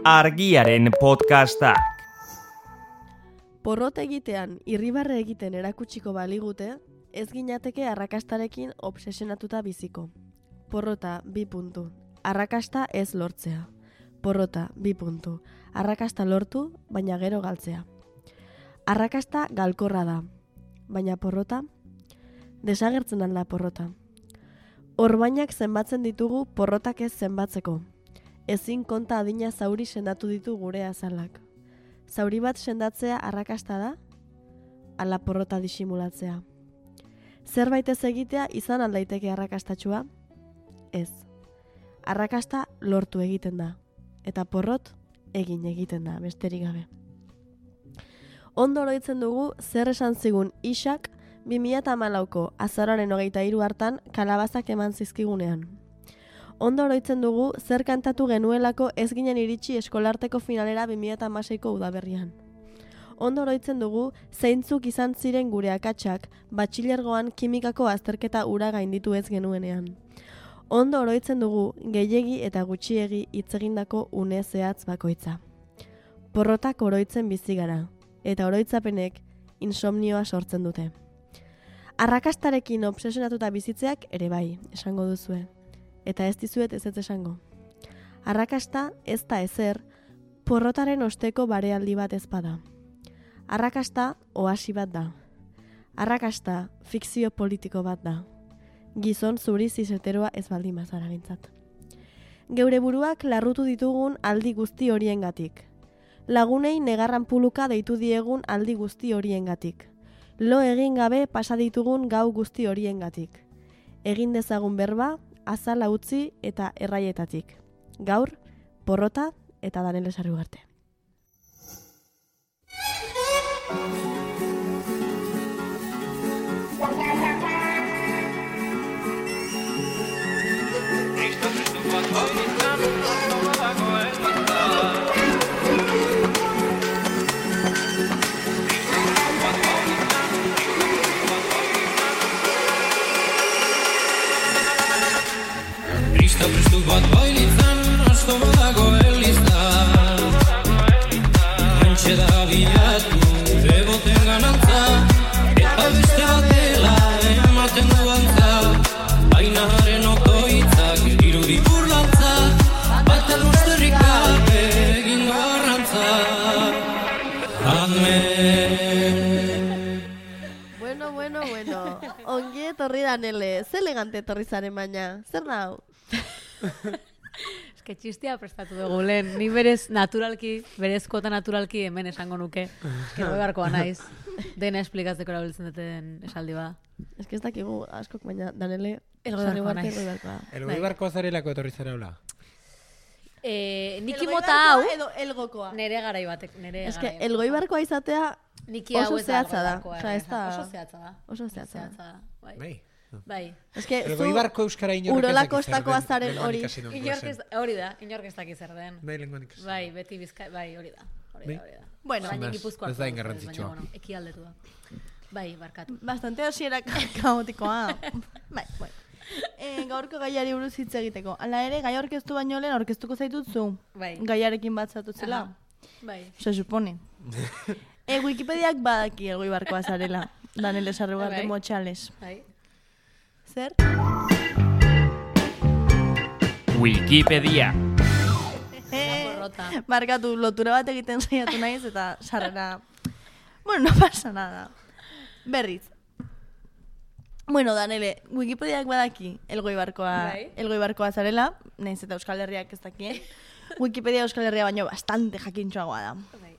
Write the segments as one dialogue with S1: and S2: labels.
S1: Argiaren podcastak.
S2: Porrot egitean irribarre egiten erakutsiko baligute, ez ginateke arrakastarekin obsesionatuta biziko. Porrota 2 puntu. Arrakasta ez lortzea. Porrota 2 puntu. Arrakasta lortu, baina gero galtzea. Arrakasta galkorra da, baina porrota? Desagertzen alda porrota. Orbainak zenbatzen ditugu porrotak ez zenbatzeko. Ezin konta adina zauri sendatu ditu gure azalak. Zauri bat sendatzea arrakasta da? Ala porrota disimulatzea. Zerbait ez egitea izan aldaiteke arrakastatxua? Ez. Arrakasta lortu egiten da. Eta porrot egin egiten da, besterik gabe. Ondo oroitzen dugu zer esan zigun Isak 2014ko azaroaren 23 hartan kalabazak eman zizkigunean. Ondo oroitzen dugu zer kantatu genuelako ez ginen iritsi eskolarteko finalera 2016ko udaberrian. Ondo oroitzen dugu zeintzuk izan ziren gure akatsak batxilergoan kimikako azterketa ura gainditu ez genuenean. Ondo oroitzen dugu gehiegi eta gutxiegi hitz egindako une zehatz bakoitza. Porrotak oroitzen bizi gara, eta oroitzapenek insomnioa sortzen dute. Arrakastarekin obsesionatuta bizitzeak ere bai, esango duzue. Eta ez dizuet ez esango. Arrakasta ez da ezer, porrotaren osteko barealdi bat ez bada. Arrakasta oasi bat da. Arrakasta fikzio politiko bat da. Gizon zuri zizeteroa ez baldin bazara bintzat. Geure buruak larrutu ditugun aldi guzti horiengatik. Lagunei negarran puluka deitu diegun aldi guzti horiengatik. Lo egin gabe pasa ditugun gau guzti horiengatik. Egin dezagun berba, azala utzi eta erraietatik. Gaur, porrota eta Danele Sarugarte.
S3: Prestu bat bailitzan, asto badago elizta. Antxe da bilatu, beboten ganantza, eta beste batela ematen du antza. Baina haren okoitzak irudi burlantza, bat aluzterrik gabe egingo arrantza. Amen.
S2: Bueno. Ongi etorri Danele, ze elegante etorri zaren baina, zer nau?
S4: Ez que txistia prestatu dugu lehen, ni berezkota naturalki hemen esango nuke. Gero beharkoa naiz, dena esplikatzeko erabiltzen duten esaldi bada.
S2: Ez que ez dakigu askok baina Danele
S4: Elgoibarkoa naiz.
S5: Elgoibarkoa zarelako etorri zarela?
S4: Niki mota hau,
S2: edo elgokoa.
S4: nere garai batek,
S2: Ez que elgoibarkoa izatea
S4: niki hau
S2: oso
S4: ez
S2: zehatza da.
S4: elgoibarkoa,
S2: Osea, ez da...
S4: Oso zehatza da.
S2: Oso zehatza da.
S4: Bai.
S5: Bai.
S2: Ez que zu
S5: Elgoibarko euskara inork ez
S2: Urola
S5: dakit zer
S2: Kostako
S5: den.
S2: azaren hori.
S4: Inork ez daki zer den.
S5: Bai, lenguan ikasi.
S4: Bai, beti bizkai, bai, hori da.
S2: Bueno,
S4: Baina Gipuzkoa.
S5: ez da ingarrantzitsua.
S4: Baina, ekialdetu da. Bai, barkatu.
S2: bastante hasiera kaotikoa. Bai, bueno. Gaurko gaiari buruz hitz egiteko. Hala ere, gai aurkeztu baino lehen aurkeztuko zaitut zu.
S4: Bai.
S2: Gaiarekin bat zatutzela.
S4: Aha. Bai.
S2: Se supone. Wikipediak badaki elgoibarkoa zarela. Danele Sarugarte
S4: Bai.
S2: Motxales.
S4: Bai.
S2: Zer?
S1: Wikipedia.
S4: Porrota.
S2: Barkatu, lotura bat egiten saiatu naiz eta sarrera... Bueno, no pasa nada. Berriz. Bueno, Danele, Wikipediak badaki
S4: Bai.
S2: elgoibarkoa zarela, nahiz eta Euskal Herriak ez dakien. Wikipedia Euskal Herria baino bastante jakintxoagoa da.
S4: Bai.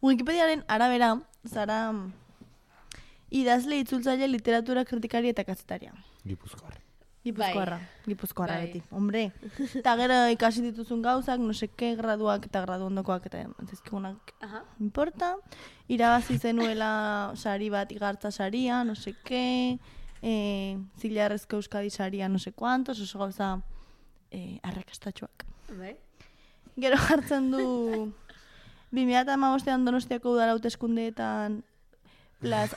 S2: Wikipediaren arabera, zara idazle itzultzaile literatura kritikari eta kazetaria.
S5: Gipuzkoarra.
S2: Gipuzkoarra
S4: Bai.
S2: beti, hombre. Eta gero ikasi dituzun gauzak, no seke, graduak eta gradu ondokoak eta zizkigunak
S4: Aha.
S2: importa. Irabazi zenuela sari bat igartza saria, no seke, zilarrezko Euskadi saria, no se kuantos, oso gauza arrakastatxoak.
S4: Bai.
S2: Gero jartzen du 2015an Donostiako udal hauteskundeetan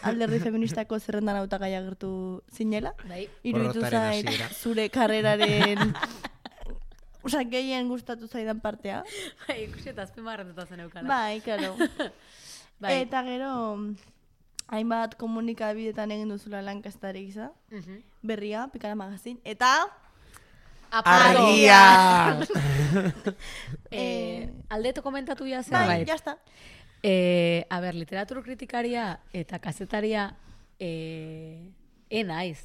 S2: alderdi feministako zerrendan hautagai agertu zinela.
S4: Bai.
S2: Iruditu
S5: Porrotaren
S2: zait
S5: hasiera.
S2: zure karreraren
S6: Osa, gehien gustatu zaidan partea.
S4: Bai, ikusi eta azpimarratuta zen eukala.
S6: Bai, claro.
S4: Bai.
S6: Eta gero, hainbat komunikabidetan egin duzula lankastari gisa. Berria, Pikara Magazin. Eta...
S5: Argia!
S4: Aldeeto komentatu ja zen.
S6: Bai, jazta.
S4: A ber, literatur kritikaria eta kazetaria naiz.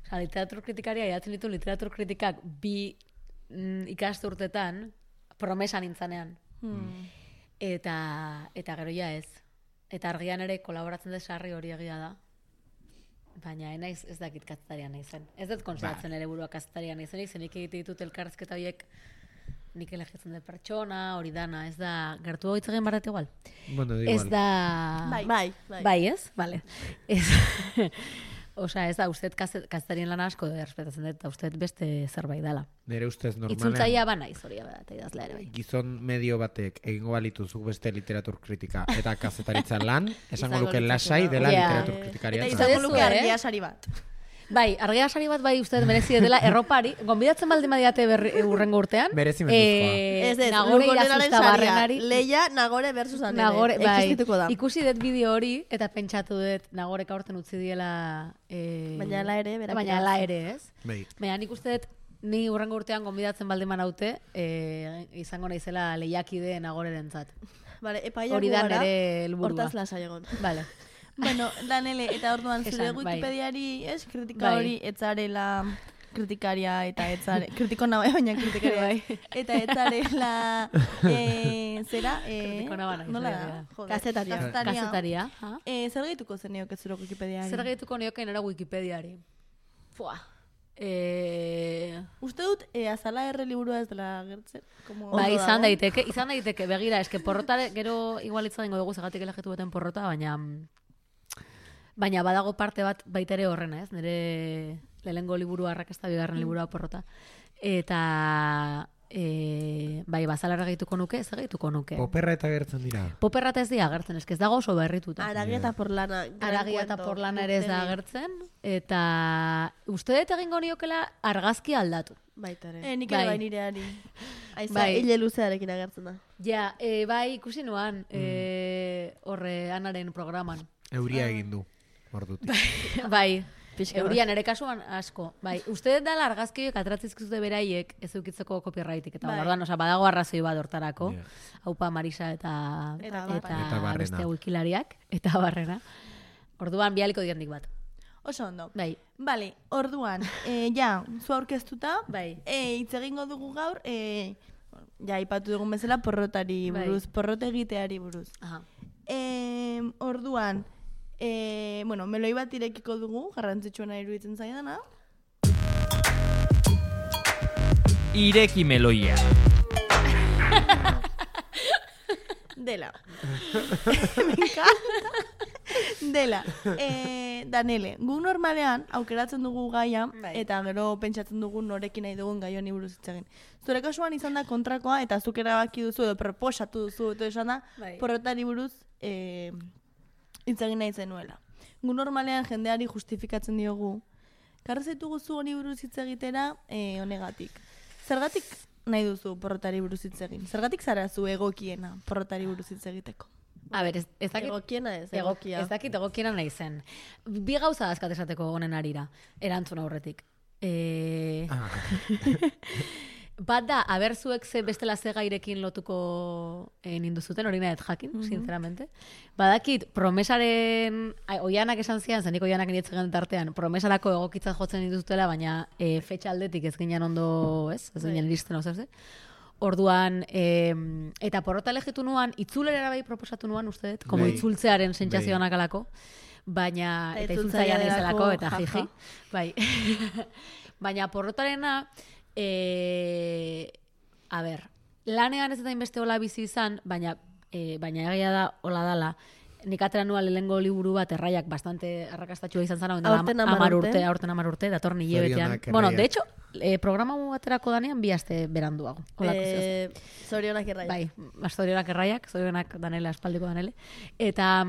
S4: Osa, literatur kritikaria jatzen ditu literatur kritikak bi ikasturtetan promesa nintzanean. Eta gero ja ez. Eta argian ere kolaboratzen dut sarri hori egia da. Baina naiz ez dakit kazetaria naizen. Ez dut konsideratzen ere burua kazetaria naizenik, zenik egite ditut elkarrezketa horiek nik elegitzen dut pertsona, hori dana, ez da, gertu hori egin barret igual.
S5: Bueno,
S4: Ez
S5: igual.
S4: da... Bai, ez? Vale. Osa, ez da, uste kazetarien lana asko errespetatzen dut, eta uste beste zerbait dela.
S5: Nere ustez normalean.
S4: Itzultzaia ba naiz hori da, eta idazlea ere bai.
S5: Gizon medio batek egingo balitu zuk beste literatur kritika eta kazetaritza lan, esango luke lasai dela literatur kritikaria.
S6: Eta
S5: eta-
S6: izango luke
S4: eh?
S6: argia sari bat.
S4: Bai, argia sari bat bai uste merezi dela erropari, gonbidatzen baldin badiate urrengo urtean.
S5: Merezi menduzkoa.
S6: Ez,
S4: Nagore
S6: Lugorenaren
S4: Irazusta
S6: saria.
S4: barrenari.
S6: Leia, Nagore versus Anele.
S4: Nagore, bai,
S6: Existituko da.
S4: ikusi dut bideo hori, eta pentsatu dut Nagorek aurten utzi diela...
S6: Baina hala ere, berak
S4: Baina hala
S6: irabazi.
S4: ere, ez?
S5: Bai.
S4: Baina nik uste dut, ni urrengo urtean gonbidatzen baldin manaute, izango naizela lehiakide Nagorerentzat.
S6: Vale, epaiak
S4: Hori da
S6: gugara,
S4: nere helburua.
S6: hortaz lasai egon.
S4: Vale.
S6: Bueno, Danele, eta orduan zure
S4: Esan, bai.
S6: Wikipediari, ez, kritika
S4: Bai.
S6: hori etzarela kritikaria eta etzare, kritiko nabai, baina kritikaria.
S4: Bai.
S6: Eta etzarela, zera,
S4: Kritiko naba naiz,
S6: nola
S4: bai,
S6: da?
S4: bai.
S6: Joder,
S2: Kazetaria.
S4: Kazetaria. ha?
S6: Zer gehituko zeneok ez zure Wikipediari?
S4: Zer gehituko nioke nera Wikipediari? Fua.
S6: Uste dut, azala erre liburua ez dela gertzen. Como
S4: Bai,
S6: ondo
S4: izan
S6: dago.
S4: daiteke, begira, eske porrota gero igual hitz egingo dugu zegatik elegitu beten porrota, baina badago parte bat baita ere horrena, ez? Nire lehenengo liburua arrakasta, bigarren liburua porrota. Eta bai, bazalarra gehituko nuke, ez gehituko nuke.
S5: Poperra eta gertzen dira.
S4: Poperra eta ez dira agertzen, eske ez dago oso berrituta.
S6: Aragia eta porlana. gran
S4: Aragia eta
S6: cuento,
S4: porlana ere ez da
S6: urtegi.
S4: agertzen, eta uste dut egingo niokela argazki aldatu.
S2: Baita ere.
S6: Nik ere
S4: Bai.
S6: bai nireari. Aiza,
S4: Bai.
S6: hile luzearekin agertzen da.
S4: Ja, bai, ikusi nuan, horre Anaren programan.
S5: Euria egin du. Ordutik.
S4: Bai,
S2: Pixka bat.
S4: eurian ere kasuan asko. Bai, uste dut dela argazkioek atratzizkizute beraiek ez eukitzeko copyrightik. Eta
S6: Bai.
S4: orduan, badago arrazoi bat hortarako.
S5: Ja.
S4: Haupa Marisa eta
S6: Eta
S5: Barrena.
S4: beste wikilariak. Eta barrena. Orduan, bialiko diandik bat.
S6: Oso ondo.
S4: Bai,
S6: Bale, orduan, ja, zu aurkeztuta,
S4: bai.
S6: hitz egingo dugu gaur, ja, ipatu dugun bezala porrotari
S4: Bai.
S6: buruz, porrot egiteari buruz.
S4: Aha.
S6: Orduan, bueno, meloi bat irekiko dugu, garrantzitsuena iruditzen zaidana.
S1: Ireki meloia.
S6: Dela. Me encanta. Dela. Danele, gu normalean aukeratzen dugu gaia,
S4: Bai.
S6: eta gero pentsatzen dugu norekin nahi dugun gai honi buruz hitz egin. Zure kasuan izan da kontrakoa, eta zuk erabaki duzu, edo proposatu duzu, eta esan da,
S4: Bai.
S6: porrotari buruz hitz egin nahi zenuela. Gu normalean jendeari justifikatzen diogu, karra zaitugu zu honi buruz hitz egitera honegatik. Zergatik nahi duzu porrotari buruz hitz egin? Zergatik zara zu egokiena porrotari buruz hitz egiteko?
S4: A ber, ez dakit...
S2: Egokiena ez,
S4: Ego-
S2: egokia.
S4: Ez dakit egokiena nahi zen. Bi gauza azkat esateko honen arira, erantzun aurretik. Bat da, aber zuek ze bestela ze gairekin lotuko ninduzuten, hori nahet jakin, sinceramente. Badakit, promesaren, oianak esan zian, zenik oianak nietzen tartean, promesarako egokitzat jotzen dituzutela, baina fetxa aldetik ez ginen ondo, ez ginen iristen hau zerze. Orduan, eta porrota elegitu nuan, itzulera bai proposatu nuan, uste dut, como
S5: Bai.
S4: itzultzearen sentsazioanak
S5: Bai.
S4: alako, baina,
S6: Eta
S4: eta
S6: itzultzaia
S4: itzultzaia naizelako,
S6: delako,
S4: eta
S6: jaja.
S4: jiji. Bai. Baina porrotarena, a ber, lanean ez eta inbeste hola bizi izan, baina egia da hola dala, nik atera nua lehengo liburu bat erraiak bastante arrakastatxua izan zara,
S2: Aurten 10 urte.
S4: aurten 10 urte, datorren hilebetean.
S5: Zorionak
S4: Bueno,
S5: erraiak.
S4: de hecho, programa baterako danean bi aste beranduago. Holako zehaz.
S2: Zorionak erraia.
S4: Bai, zorionak erraiak, zorionak Danele, aspaldiko Danele. Eta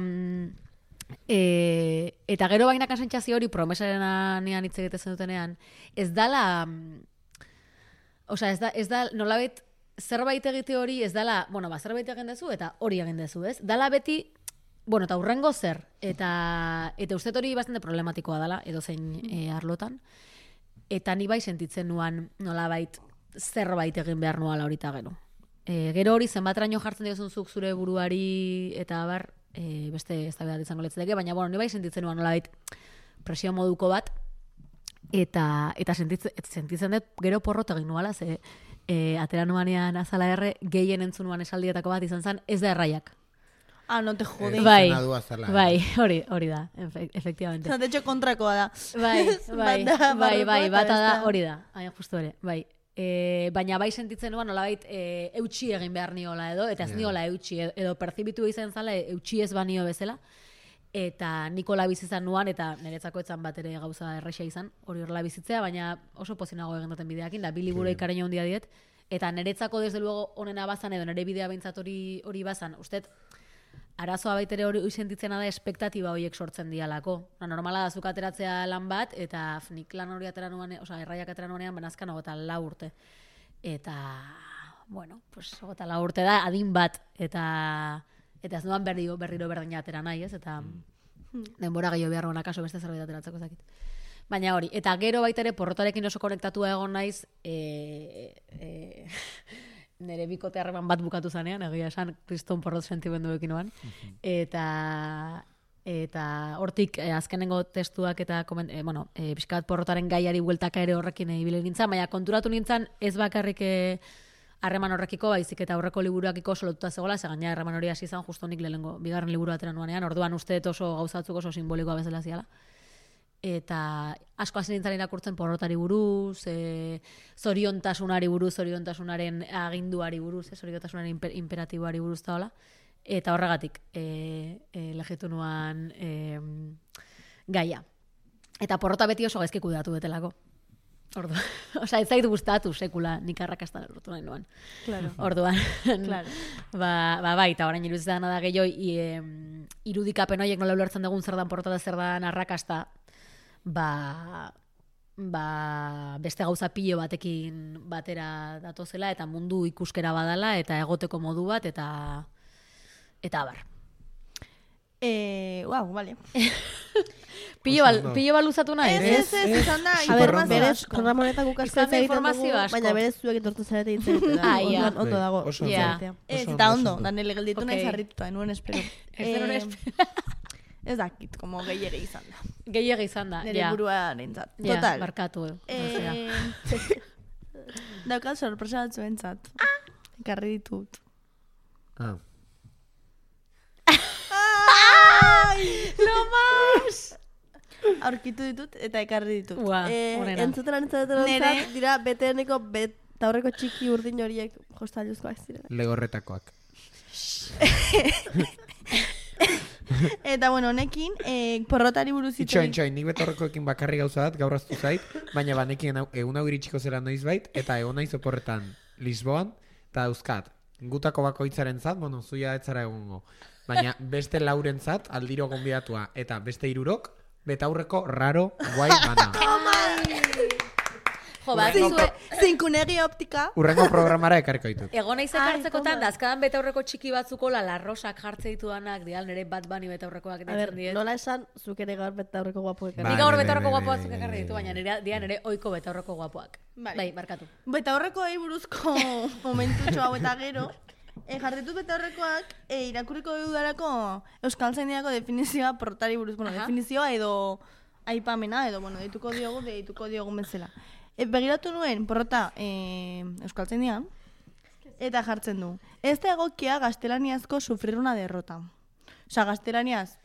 S4: eta gero bainaka sentsazio hori promesaren anean hitz egitezen dutenean, ez dala Osea, ez da nolabait zerbait egite hori ez dala, zerbait egin dezu eta hori egin dezu, ez? Dala beti, eta hurrengo zer, eta uste hori bastante problematikoa dala, edo zein arlotan, eta ni bai sentitzen nuan nolabait zerbait egin behar nuala horita gero. Gero hori zenbatraino jartzen diozun zuk zure buruari eta beste eztabaidat izango letzateke, baina ni bai sentitzen nuan nolabait presio moduko bat, eta sentitzen dut gero porrot egin nuala, ze atera nuanean azala gehien entzunuan esaldietako bat izan zen, ez da erraiak.
S6: No te jode.
S4: Bai, hori da, efectivamente.
S6: De hecho, kontrakoa da.
S4: Bai, bata da, hori da, justu ere, bai. Baina bai sentitzen nuan nolabait eutxi egin behar niola edo, eta ez niola eutxi, edo perzibitu izan zala eutxi ez banio bezala, eta nikola bizizan nuan, eta niretzako etzan bat ere gauza erraixa izan, hori horrela bizitzea, baina oso pozinago egin duten bideakin, da bi liburu ikareño handia diet, eta niretzako desde luego onena bazan, edo nire bidea behintzat hori bazan, usted, arazoa baitere hori sentitzena da espektatiba horiek sortzen dialako. Normala da zuk ateratzea lan bat, eta nik lan hori atera nuanean, erraiak atera nuanean, banazkan 24 urte. Eta, pues 24 urte da, adin bat, eta ez nuan berriro berdina atera nahi, ez? Eta denbora gehiago behar nuen akaso beste zerbait ateratzeko zakit. Baina hori, eta gero baita ere porrotarekin oso konektatua egon naiz, nire bikote harreman bat bukatu zanean, egia esan kriston porrot sentimenduekin oan. Eta hortik azkenengo testuak eta pixkat porrotaren gaiari bueltaka ere horrekin ibili nintzen, baina konturatu nintzen ez bakarrik harreman horrekiko, baizik eta aurreko liburuakiko oso lotuta zegoela, ze gaina harreman hori hasi izan justo nik lehenengo bigarren liburu atera nuanean, orduan uste oso gauzatzuk oso simbolikoa bezala ziala. Eta asko hasi nintzen irakurtzen porrotari buruz, zoriontasunari buruz, zoriontasunaren aginduari buruz, zoriontasunaren imperatiboari buruz da hola. Eta horregatik legitu nuan gaia. Eta porrota beti oso gaizki kudeatu betelako. Ez zait gustatu sekula nik arrakasta lortu nahi nuan.
S6: Claro.
S4: Orduan.
S6: Claro.
S4: Bai, eta orain iruditzen da gehiago irudikapen horiek nola ulertzen dugun zer dan porrota da zer dan arrakasta, beste gauza pilo batekin batera datozela eta mundu ikuskera badala eta egoteko modu bat eta bar.
S6: Vale.
S4: Pilo bat luzatu nahi?
S6: Ez, izan da,
S2: informazioa. Berez, programa honetan gukasko ez egiten dugu,
S4: asko.
S2: baina berez zuek etortu zarete ditzen da. Ondo dago.
S6: Eta ondo, da nire gelditu nahi zarrituta, enuen espero. Ez dakit, como gehiage izan da.
S4: Gehiage izan da,
S6: nire burua nintzat.
S4: Total. Barkatu.
S6: Daukat sorpresa batzu entzat. Ekarri ditut.
S4: Lo más!
S6: Aurkitu ditut eta ekarri ditut.
S2: Entzutela nintzat dira beteeneko taurreko txiki urdin horiek jostailuzkoak ziren.
S5: Legorretakoak.
S6: Eta honekin porrotari buruz
S5: itxoin, nik betorrekoekin bakarri gauza bat gaur aztu zait, baina banekin egun hau iritsiko zera noiz bait, eta egon naiz oporretan Lisboan, eta dauzkat, gutako bakoitzaren zat, zuia etzara egongo. Baina beste lauren zat, aldiro gonbidatua, eta beste irurok, betaurreko raro guai bana.
S6: Zinkunegi optika.
S5: Urrengo programara ekarriko ditut.
S4: Egon naiz ekartzekotan, da azkadan betaurreko txiki batzuko larrosak jartze ditudanak, dial nire bat bani betaurrekoak ditzen diet.
S2: Nola esan, zuk ere gaur betaurreko guapoak ekarri.
S4: Nik gaur betaurreko guapoak zuk ekarri ditu, baina dian ere oiko betaurreko guapoak. Bai, markatu.
S6: Betaurreko buruzko momentutxo hau eta gero, jarritut betaurrekoak irakurriko dudarako Euskal Zaindiako definizioa porrotari buruz. Definizioa edo aipamena, edo deituko diogu bezala. Begiratu nuen porrota Euskaltzaindian eta jartzen du. Ez da egokia gaztelaniazko sufrir una derrota. Osa, gaztelaniaz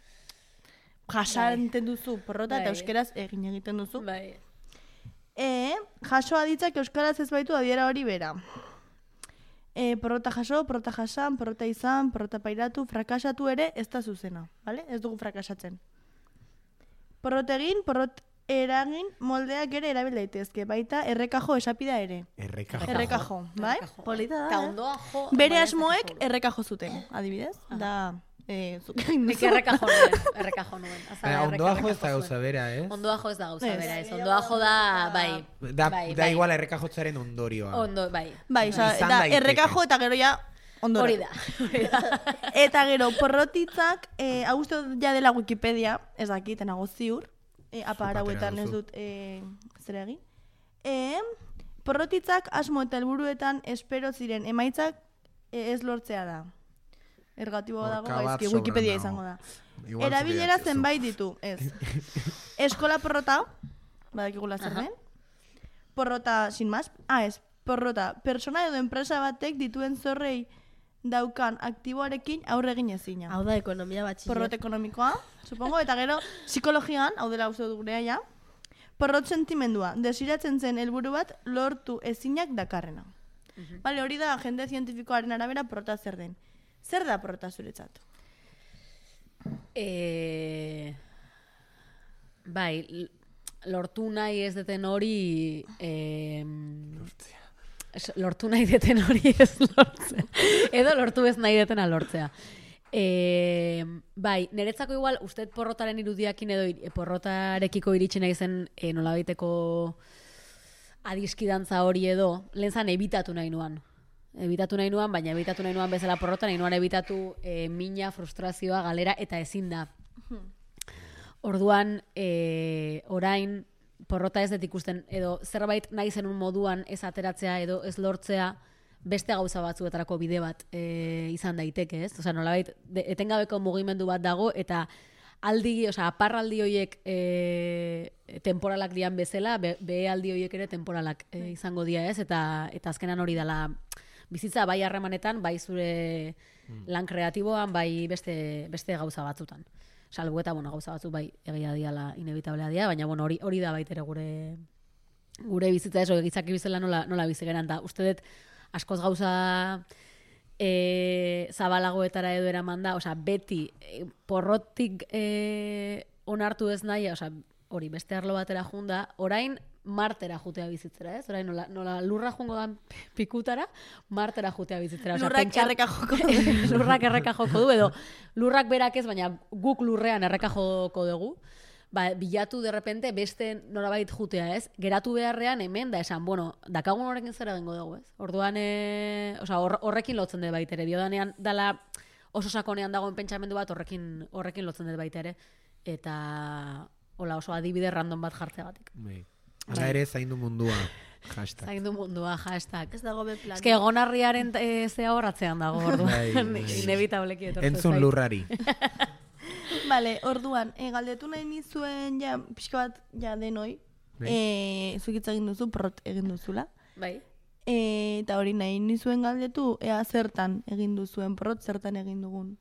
S6: jasanten duzu porrota eta euskeraz egin egiten duzu. Jaso aditzak euskaraz ez baitu adiera hori bera. Porrota jaso, porrota jasan, porrota izan, porrota pairatu, frakasatu ere ez da zuzena. Ez dugu frakasatzen. Porrot egin, porrot eragin moldeak ere erabil daitezke, baita errekajo esapida ere. Errekajo, bai?
S2: Polita da.
S6: Bere asmoek errekajo zuten, adibidez. Da, zuk egin
S4: Nik
S6: duzu.
S4: errekajo nuen.
S5: Baina, ondoajo ez da gauza bera, ez?
S4: Ondoajo ez da gauza
S6: Ez.
S4: bera, ez. Ondoajo da, bai.
S5: Da igual errekajotzaren ondorioa.
S4: Ondo, bai.
S6: Bai, oza,
S5: Izan
S6: eta
S5: daiteke.
S6: errekajo eta gero ja ondora.
S4: Hori da.
S6: Eta gero, porrotitzak, hau uste dut ja dela Wikipedia, ez dakit, nago ziur, apa arauetan ez
S5: duzu.
S6: dut zer egin. Porrotitzak asmo eta helburuetan espero ziren emaitzak ez lortzea da. Ergatiboa dago,
S5: Orka bat
S6: gaizki,
S5: sobran
S6: Wikipedia
S5: dago.
S6: izango da.
S5: Igual
S6: Erabilera
S5: zuri dakizu.
S6: zenbait ditu, ez. Eskola porrota, badakigula zer
S4: Aha.
S6: den. Porrota, sin más, ez, porrota, persona edo enpresa batek dituen zorrei daukan aktiboarekin aurre egin ezina.
S2: Hau da, ekonomia batxiller.
S6: Porrot ekonomikoa, supongo, eta gero psikologian, hau dela uste dut gurea ja, porrot sentimendua, desiratzen zen helburu bat lortu ezinak dakarrena. Bale, hori da jende zientifikoaren arabera porrota zer den. Zer da porrota zuretzat?
S4: Bai, lortu nahi ez deten hori... Lortu nahi deten hori ez lortzea. Edo lortu ez nahi detena lortzea. Bai, niretzako igual, usted porrotaren irudiakin edo porrotarekiko iritsi nahi zen nolabaiteko adiskidantza hori edo, lehen zan ebitatu nahi nuan. Baina ebitatu nahi nuan bezala porrota, nahi nuan ebitatu mina, frustrazioa, galera, eta ezin da. Orduan, orain, porrota ez dut ikusten, edo zerbait nahi zenun moduan ez ateratzea edo ez lortzea, beste gauza batzuetarako bide bat izan daiteke, ez? Osea, nolabait, etengabeko mugimendu bat dago, eta aparraldi horiek temporalak dian bezala, behealdi horiek ere temporalak izango dira, ez? Eta azkenan hori dela bizitza bai harremanetan, bai zure lan kreatiboan, bai beste gauza batzutan. Salbu eta, gauza batzuk bai egia diala inevitablea dira, baina, hori da baitere gure bizitza ez, gizaki bizela nola bizi geran, da uste dut askoz gauza zabalagoetara edo eraman da, beti porrotik onartu ez nahi, hori beste arlo batera junda, orain martera jutea bizitzera, ez? Orain nola lurra jungo dan pikutara, martera jutea bizitzera.
S6: Lurrak erreka joko du.
S4: Lurrak erreka joko du, edo lurrak berak ez, baina guk lurrean erreka joko dugu. Bilatu derrepente beste norabait jutea, ez? Geratu beharrean hemen da esan, dakagun horrekin zer egingo dugu, ez? Orduan, horrekin lotzen dut baitere. Diodanean dala oso sakonean dagoen pentsamendu bat horrekin lotzen dut baitere. Eta oso adibide random bat jartzeagatik.
S5: Hala ere, zaindu mundua. Hashtag.
S4: Zaindu mundua, hashtag.
S6: Ez dago be plan.
S4: Ez que egonarriaren zea horratzean dago, orduan.
S5: Bai.
S4: Inevitableki etortzen
S5: Entzun
S4: zait.
S5: lurrari.
S6: Vale, orduan, galdetu nahi nizuen ja, pixka bat ja denoi, zukitza egin duzu, porrot egin duzula.
S4: Bai.
S6: Eta hori nahi nizuen galdetu, ea zertan egin duzuen porrot, zertan egin dugun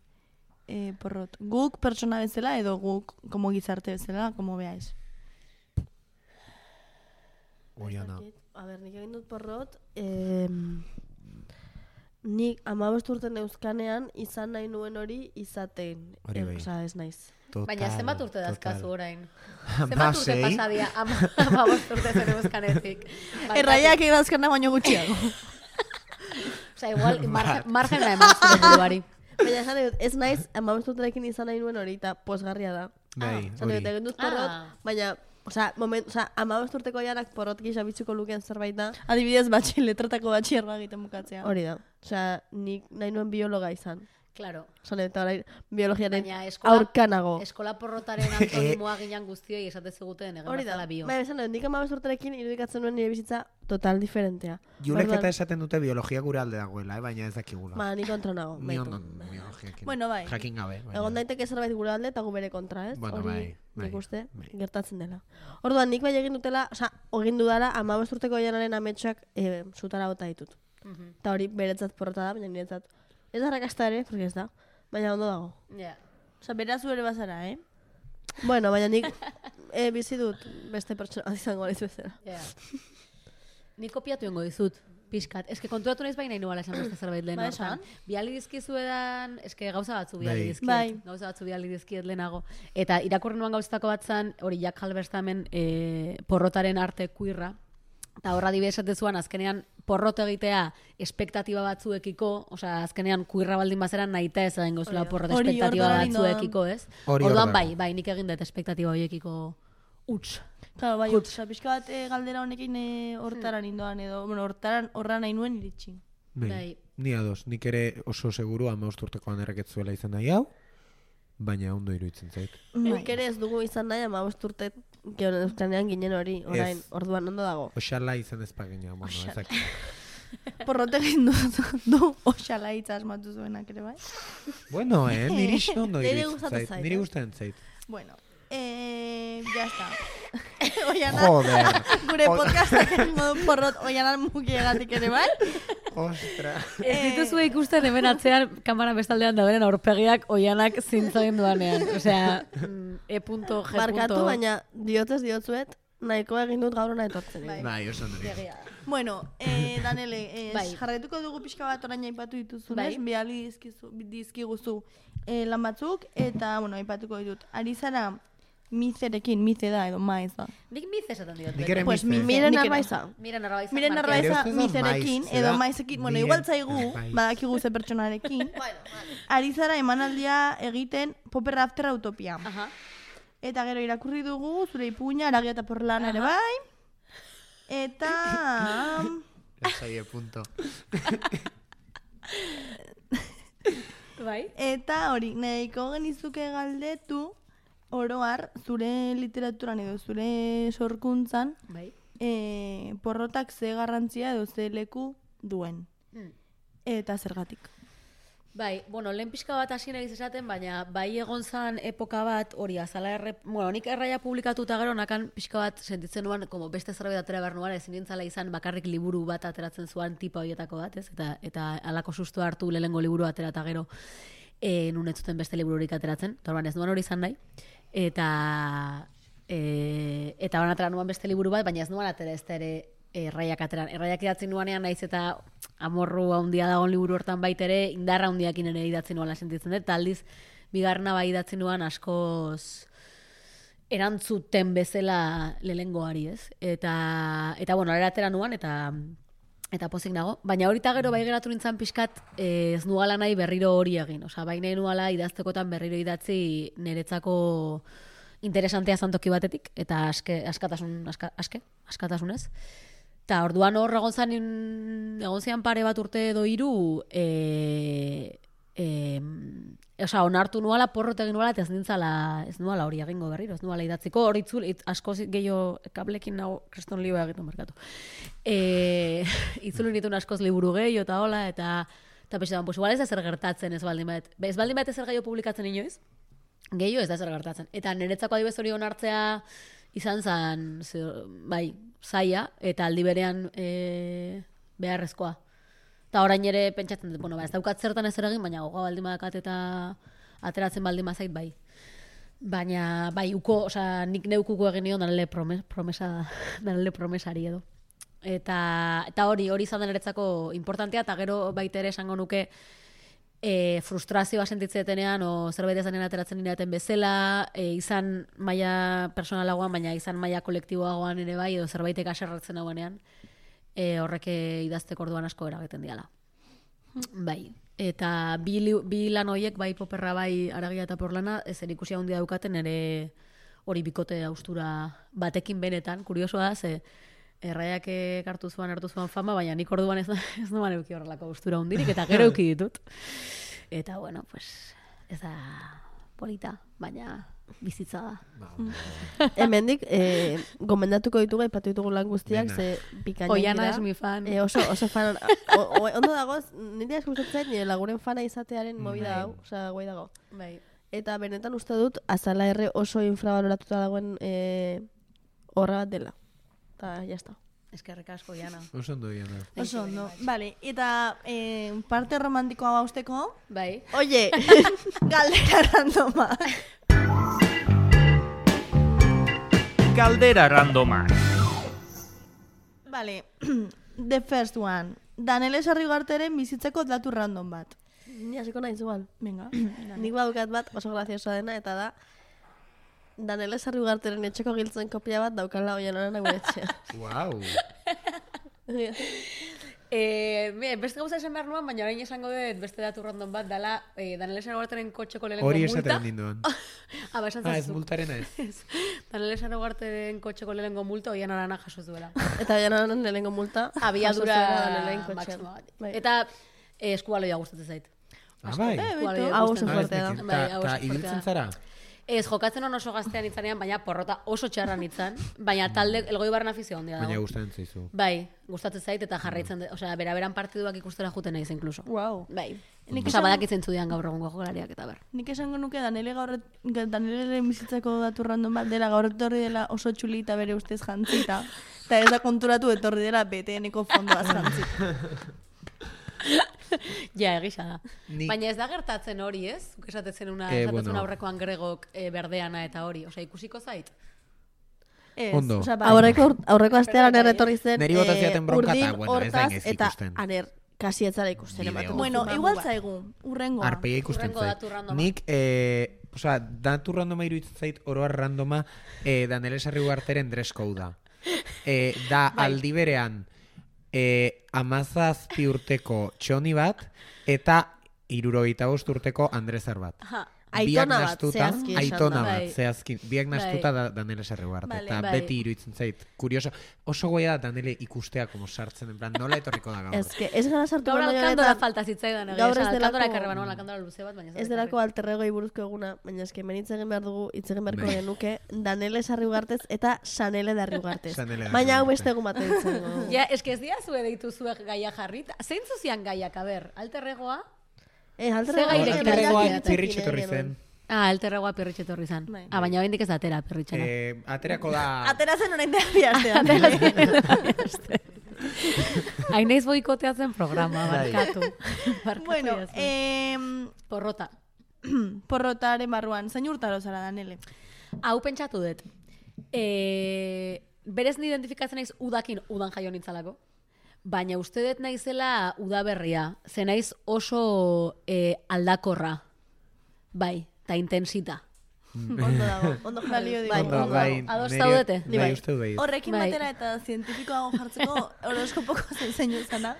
S6: porrot. Guk pertsona bezala edo guk como gizarte bezala, como beais.
S5: Oiana.
S2: A ber, nik egin dut porrot, nik 15 urte neuzkanean izan nahi nuen hori izaten.
S5: Hori bai.
S2: Osea, ez naiz.
S4: Baina zenbat urte dazkazu
S5: total.
S4: orain? Zenbat urte
S5: 16.
S4: pasadia 15 urte zen euskanetik?
S6: Erraiak egazkana baino gutxiago.
S4: Osea, igual margena eman zure buruari.
S2: Baina esan dut, ez naiz 15 urterekin izan nahi nuen hori, eta posgarria da.
S5: Bai,
S2: Esan dut,
S5: hori.
S2: egin dut porrot, baina, osea, 15 urteko janak porrot gisa bitzuko lukeen zerbait da.
S6: Adibidez, letratako batxierra egiten bukatzea.
S2: Hori da. Osea, nik nahi nuen biologa izan.
S4: Claro.
S2: Esan dut, orain biologiaren
S4: Baina
S2: aurkanago.
S4: eskola porrotaren antonimoa ginen guztioi esate ziguten egen
S2: Hori da.
S4: bazala bio.
S2: Baina esan dut, nik 15 urterekin irudikatzen nuen nire bizitza total diferentea.
S5: Julek
S2: Orduan,
S5: eta esaten dute biologia gure alde dagoela, baina ez dakigula.
S2: Ba, nik kontra nago.
S5: Ni
S2: baitu.
S5: ondo biologiakin.
S6: Bueno, bai.
S5: Jakin gabe. baina-
S2: Egon daiteke zerbait gure alde eta gu bere kontra, ez?
S5: Bueno,
S2: Hori
S5: bai,
S2: nik uste
S5: bai.
S2: gertatzen dela. Orduan, nik bai egin dutela, osea, egin dudala 15 urteko janaren ametsak zutara bota ditut. Eta hori beretzat porrota da, baina niretzat ez da arrakasta ere, porque ez da. Baina ondo dago.
S4: Ja.
S6: Osa, beraz ere bazara,
S2: Bueno, baina nik bizi dut beste pertsona bat izango naiz bezala.
S4: Ja. Ni kopiatu ingo dizut, pixkat. Eske konturatu naiz baina nuala esan beste zerbait lehen
S6: Ba,
S4: hortan.
S6: esan.
S4: Biali dizkizu edan, eske gauza batzu biali
S5: Bai.
S4: dizkiet.
S6: Bai.
S4: Gauza batzu biali dizkiet lehenago. Eta irakurri nuan gauzatako bat zan, hori Jack Halberstamen porrotaren arte kuirra, Eta horra dibe esatezuan, azkenean porrot egitea espektatiba batzuekiko, osea, azkenean kuirra baldin bazeran nahita ez egingo zula porrot
S6: Hori,
S4: espektatiba
S6: orduan
S4: batzuekiko, ez?
S5: Hori
S4: Orduan
S5: orduan.
S4: bai, nik egin dut espektatiba horiekiko huts.
S6: Claro, bai, osea, pixka bat galdera honekin hortaran indoan edo, bueno, horra nahi nuen iritsi.
S4: Bai.
S5: Ni ados, nik ere oso seguru 15 urtekoan erreketzuela izan nahi hau, baina ondo iruditzen zait.
S2: Nik ere ez dugu izan nahi 15 urte Euskanean ginen hori, orain, orduan ondo dago.
S5: Oxala izan ezpagina, bueno, ezak.
S6: Porrot egin du oxala hitz asmatu zuenak ere, bai?
S5: Bueno, niri ondo
S2: Niri
S5: iruditzen
S2: gustatzen
S5: zait.
S2: zait,
S5: Niri gustatzen zait.
S6: Bueno, ya está. Oiana,
S5: Joder.
S6: gure podcastak egingo du porrot oianan mukiegatik ere, bai?
S5: Ostra.
S4: Ez dituzu ikusten hemen atzean kamera bestaldean dauden aurpegiak oianak zintzoin duanean. Osea, E.G.
S2: Barkatu, baina diotzuet, nahiko egin dut gaur hona etortzen.
S5: Bai, oso niri.
S6: Bueno, Danele,
S4: Bai.
S6: jarraituko dugu pixka bat orain aipatu dituzunez,
S4: Bai.
S6: bihali dizkiguzu lan batzuk, eta, bueno, aipatuko ditut. Ari zara mizerekin, mize da edo maiz da.
S4: Nik miz esaten diot.
S5: Nik ere
S6: Pues
S5: mize.
S2: Miren
S6: nik ere.
S2: arbaiza.
S4: Miren arbaiza.
S6: Miren
S5: Nire
S6: Arbaiza
S5: ustez da
S6: mizerekin
S5: maiz,
S6: edo
S5: da
S6: maizekin, bueno,
S5: miren,
S6: igual zaigu,
S5: bai.
S6: badakigu ze pertsonarekin. Ari zara emanaldia egiten Popper After Utopia.
S4: Aha.
S6: Eta gero irakurri dugu, zure ipuña, Aragia eta Porlana ere bai. Eta...
S5: Lasai, punto.
S4: Bai.
S6: Eta hori, nahiko genizuke galdetu oroar zure literaturan edo zure sorkuntzan
S4: Bai.
S6: porrotak ze garrantzia edo ze leku duen. Eta zergatik.
S4: Bai, bueno, lehen pixka bat hasi nahi esaten, baina bai egon zan epoka bat hori azala bueno, nik erraia publikatuta gero nakan pixka bat sentitzen nuan, como beste zerbait atera behar nuan, ezin nintzala izan bakarrik liburu bat ateratzen zuen tipa horietako bat, ez? Eta alako sustu hartu lehengo liburu atera eta gero nun ez zuten beste libururik ateratzen, eta orban ez nuan hori izan nahi. Eta ban atera nuan beste liburu bat, baina ez nuan atera ez da ere erraiak ateran. Erraiak idatzen nuanean naiz eta amorru handia dagoen liburu hortan baita indarra handiakin ere idatzen nuala sentitzen dut, eta aldiz bigarna bai idatzen nuan askoz erantzuten bezala lehengoari, ez? Eta bueno, ara atera nuan, eta pozik nago. Baina horita gero bai geratu nintzen pixkat ez nuala nahi berriro hori egin. Osea, bai nahi nuala idaztekotan berriro idatzi niretzako interesantea zantoki batetik, eta askatasunez. Eta orduan hor egon zian pare bat urte edo 3, osea, onartu nuala, porrot egin nuala, eta ez nuala hori egingo berriro, ez nuala idatziko, hori asko gehiago kablekin nago, kriston lioa egiten markatu. Itzulu nituen askoz liburu gehiago eta hola, eta pesetan, pues igual ez da zer gertatzen ez baldin bat. Ez baldin bat ez zer gehiago publikatzen inoiz, gehiago ez da zer gertatzen. Eta niretzako adibez hori onartzea izan zen, bai, zaila, eta aldi berean beharrezkoa. Eta orain ere pentsatzen dut, bueno, ez daukat zertan ez egin, baina gogoa baldin badakat eta ateratzen baldin bazait bai. Baina, bai, osea, nik neukuko egin nion danele promesari edo. Eta hori izan da niretzako importantea, eta gero baita ere esango nuke frustrazioa sentitzetenean, o zerbait ezanen ateratzen niraten bezala, izan maila personalagoan, baina izan maila kolektiboagoan ere bai, edo zerbaitek aserratzen hauenean, horrek idazteko orduan asko eragiten diala. Bai, eta bi lan horiek, bai Poperra, bai Aragia eta Porlana, zer ikusia handia daukaten ere hori bikote austura batekin benetan, kuriosoa da, ze erraiak hartu zuen fama, baina nik orduan ez nuan euki horrelako austura hundirik, eta gero euki ditut. Eta, bueno, pues, ez da polita, baina bizitza da.
S2: Hemendik, gomendatuko ditugu, aipatu ditugu lan guztiak, ze pikainak dira.
S4: Oiana es mi fan.
S2: Oso fan. Ondo dagoz, nire asko gustatzen, nire laguren fana izatearen movida hau, osea, guai dago.
S4: Bai.
S2: Eta benetan uste dut, azala erre oso infravaloratuta dagoen horra bat dela. Eta, jazta.
S4: Eskerrik asko, Oiana.
S5: Oso ondo Iana.
S6: Oso ondo. Vale, eta parte romantikoa bausteko,
S4: Bai.
S2: Oye,
S6: galdera randoma.
S1: Galdera randoma.
S6: Vale, the first one. Danele Sarriugarteren bizitzeko datu random bat.
S2: ni hasiko naiz igual.
S6: Venga.
S2: Nik badukat bat oso graziosoa dena, eta da, Danele Sarriugarteren etxeko giltzen kopia bat daukala Oianaren gure etxea.
S5: Wow.
S4: Beste gauza esan behar nuen, baina orain esango dut beste datu random bat, dala Daniel Esarugarteren kotxeko lehenko
S5: Hori
S4: multa.
S5: esaten ninduan.
S4: Esan
S5: Ez
S4: zazu.
S5: multarena ez.
S4: Daniel Esarugarteren kotxeko lehenko multa oian arana jaso zuela.
S2: Eta janan lehenengo multa.
S4: Abiadura
S2: jaso zuela Danelen kotxean.
S4: maximoa.
S2: Bai.
S4: Eta eskubaloia gustatzen zait.
S5: Bai.
S4: Eskubaloia
S2: Hau
S4: gustatzen
S2: oso
S4: zait.
S2: fuertea da.
S4: Bai, hau oso
S5: Eta
S4: fuertea
S5: ibiltzen
S4: da.
S5: zara?
S4: Ez, jokatzen on oso gaztean itzanean, baina porrota oso txarran itzan, baina talde elgoi barren afizio handia
S5: Baina
S4: dago.
S5: gustatzen zaizu.
S4: Bai, gustatzen zait eta jarraitzen, osea, beraberan partiduak ikustera juten naiz incluso.
S6: Wow.
S4: Bai.
S6: Nik
S4: Osea,
S6: esan-
S4: badakitzen zudian gaur egungo jokalariak eta ber.
S6: Nik esango nuke Daneleren bizitzako datu random bat dela gaur etorri dela oso txuli eta bere ustez jantzita. Eta ez da konturatu etorri dela BTN-eko fondoaz jantzita.
S4: Ja, egisa da.
S5: Ni-
S4: Baina ez da gertatzen hori, ez? Zuk esatetzen
S5: bueno.
S4: aurrekoan gregok berdeana eta hori. Osea, ikusiko zait.
S6: Ez,
S5: Ondo.
S6: osea, bai.
S2: Aurreko astean etorri zen.
S5: Neri bota zidaten bronka eta,
S2: urdin
S5: bueno, ez da
S2: hortaz,
S5: inez
S2: eta
S5: ikusten.
S2: aner, kasi etzara ikusten.
S5: Bideo.
S2: ematen
S6: Bueno,
S2: duzu
S6: igual
S2: mamua.
S6: zaigu, urrengoa.
S5: Arpeia ikusten
S4: Hurrengo
S5: zait.
S4: datu randoma.
S5: Nik, osea, datu randoma iruditzen zait, oroar randoma, Daniel Esarriugarteren dress code da. Da aldi berean, 17 urteko txoni bat, eta 75 urteko Andrezar bat.
S4: Aha.
S2: Aitona
S5: Biak
S2: bat,
S5: nahastuta,
S2: zehazki esan
S5: aitona
S2: da.
S5: bat,
S4: Bai.
S5: zehazki. Biak nahastuta da Daniel Esarriugarte.
S6: Vale,
S5: Eta
S4: bai.
S5: beti iruditzen zait. Kurioso. Oso goia da Daniele ikustea, como sartzen, en plan, nola etorriko da gaur.
S2: Ez gara sartu
S4: Gaur
S2: baino
S4: alkandora
S2: honetan,
S4: falta zitzaidan.
S2: gaur ez
S4: Alkandora
S2: delako-
S4: ekarri banoan, alkandora luze bat, baina
S2: ez delako alterregoi buruzko eguna, baina eske hemen hitz egin behar dugu, hitz egin beharko
S5: Bai.
S2: genuke, Danele Sarriugartez eta Sanele Darriugartez.
S5: Sanele
S2: Baina hau
S5: Darriugarte.
S2: beste egun batean izango.
S4: Ja, eske ez dira zue deitu zuek gaia jarrita. Zeintzu zian gaiak, a ber, alterregoa?
S2: Alterregoi
S4: Ze gairekin
S5: Alterregoan
S4: etorri
S5: pirritxe etorri zen.
S4: Alterregoa perritxe etorri zan.
S6: Bai.
S4: Baina oraindik ez da atera perritxena.
S5: Aterako da...
S6: Atera zen orain dela bi astean.
S4: Hain naiz boikoteatzen programa,
S5: Bai.
S4: barkatu. Barkatu
S6: Bueno,
S4: didazu. Porrota.
S6: porrotaren barruan, zein urtaro zara, Danele?
S4: Hau pentsatu dut. Berez ni identifikatzen naiz udan jaio nintzalako. Baina uste dut naizela udaberria. Ze naiz oso aldakorra. Bai, eta intensita.
S6: Ondo dago, ondo balio digu.
S5: Ondo, bai,
S4: Ados
S5: niri-
S4: zaudete?
S5: Bai, uste du bai.
S6: Horrekin
S4: Bai.
S6: batera eta zientifikoago jartzeko horoskopoko zein izana.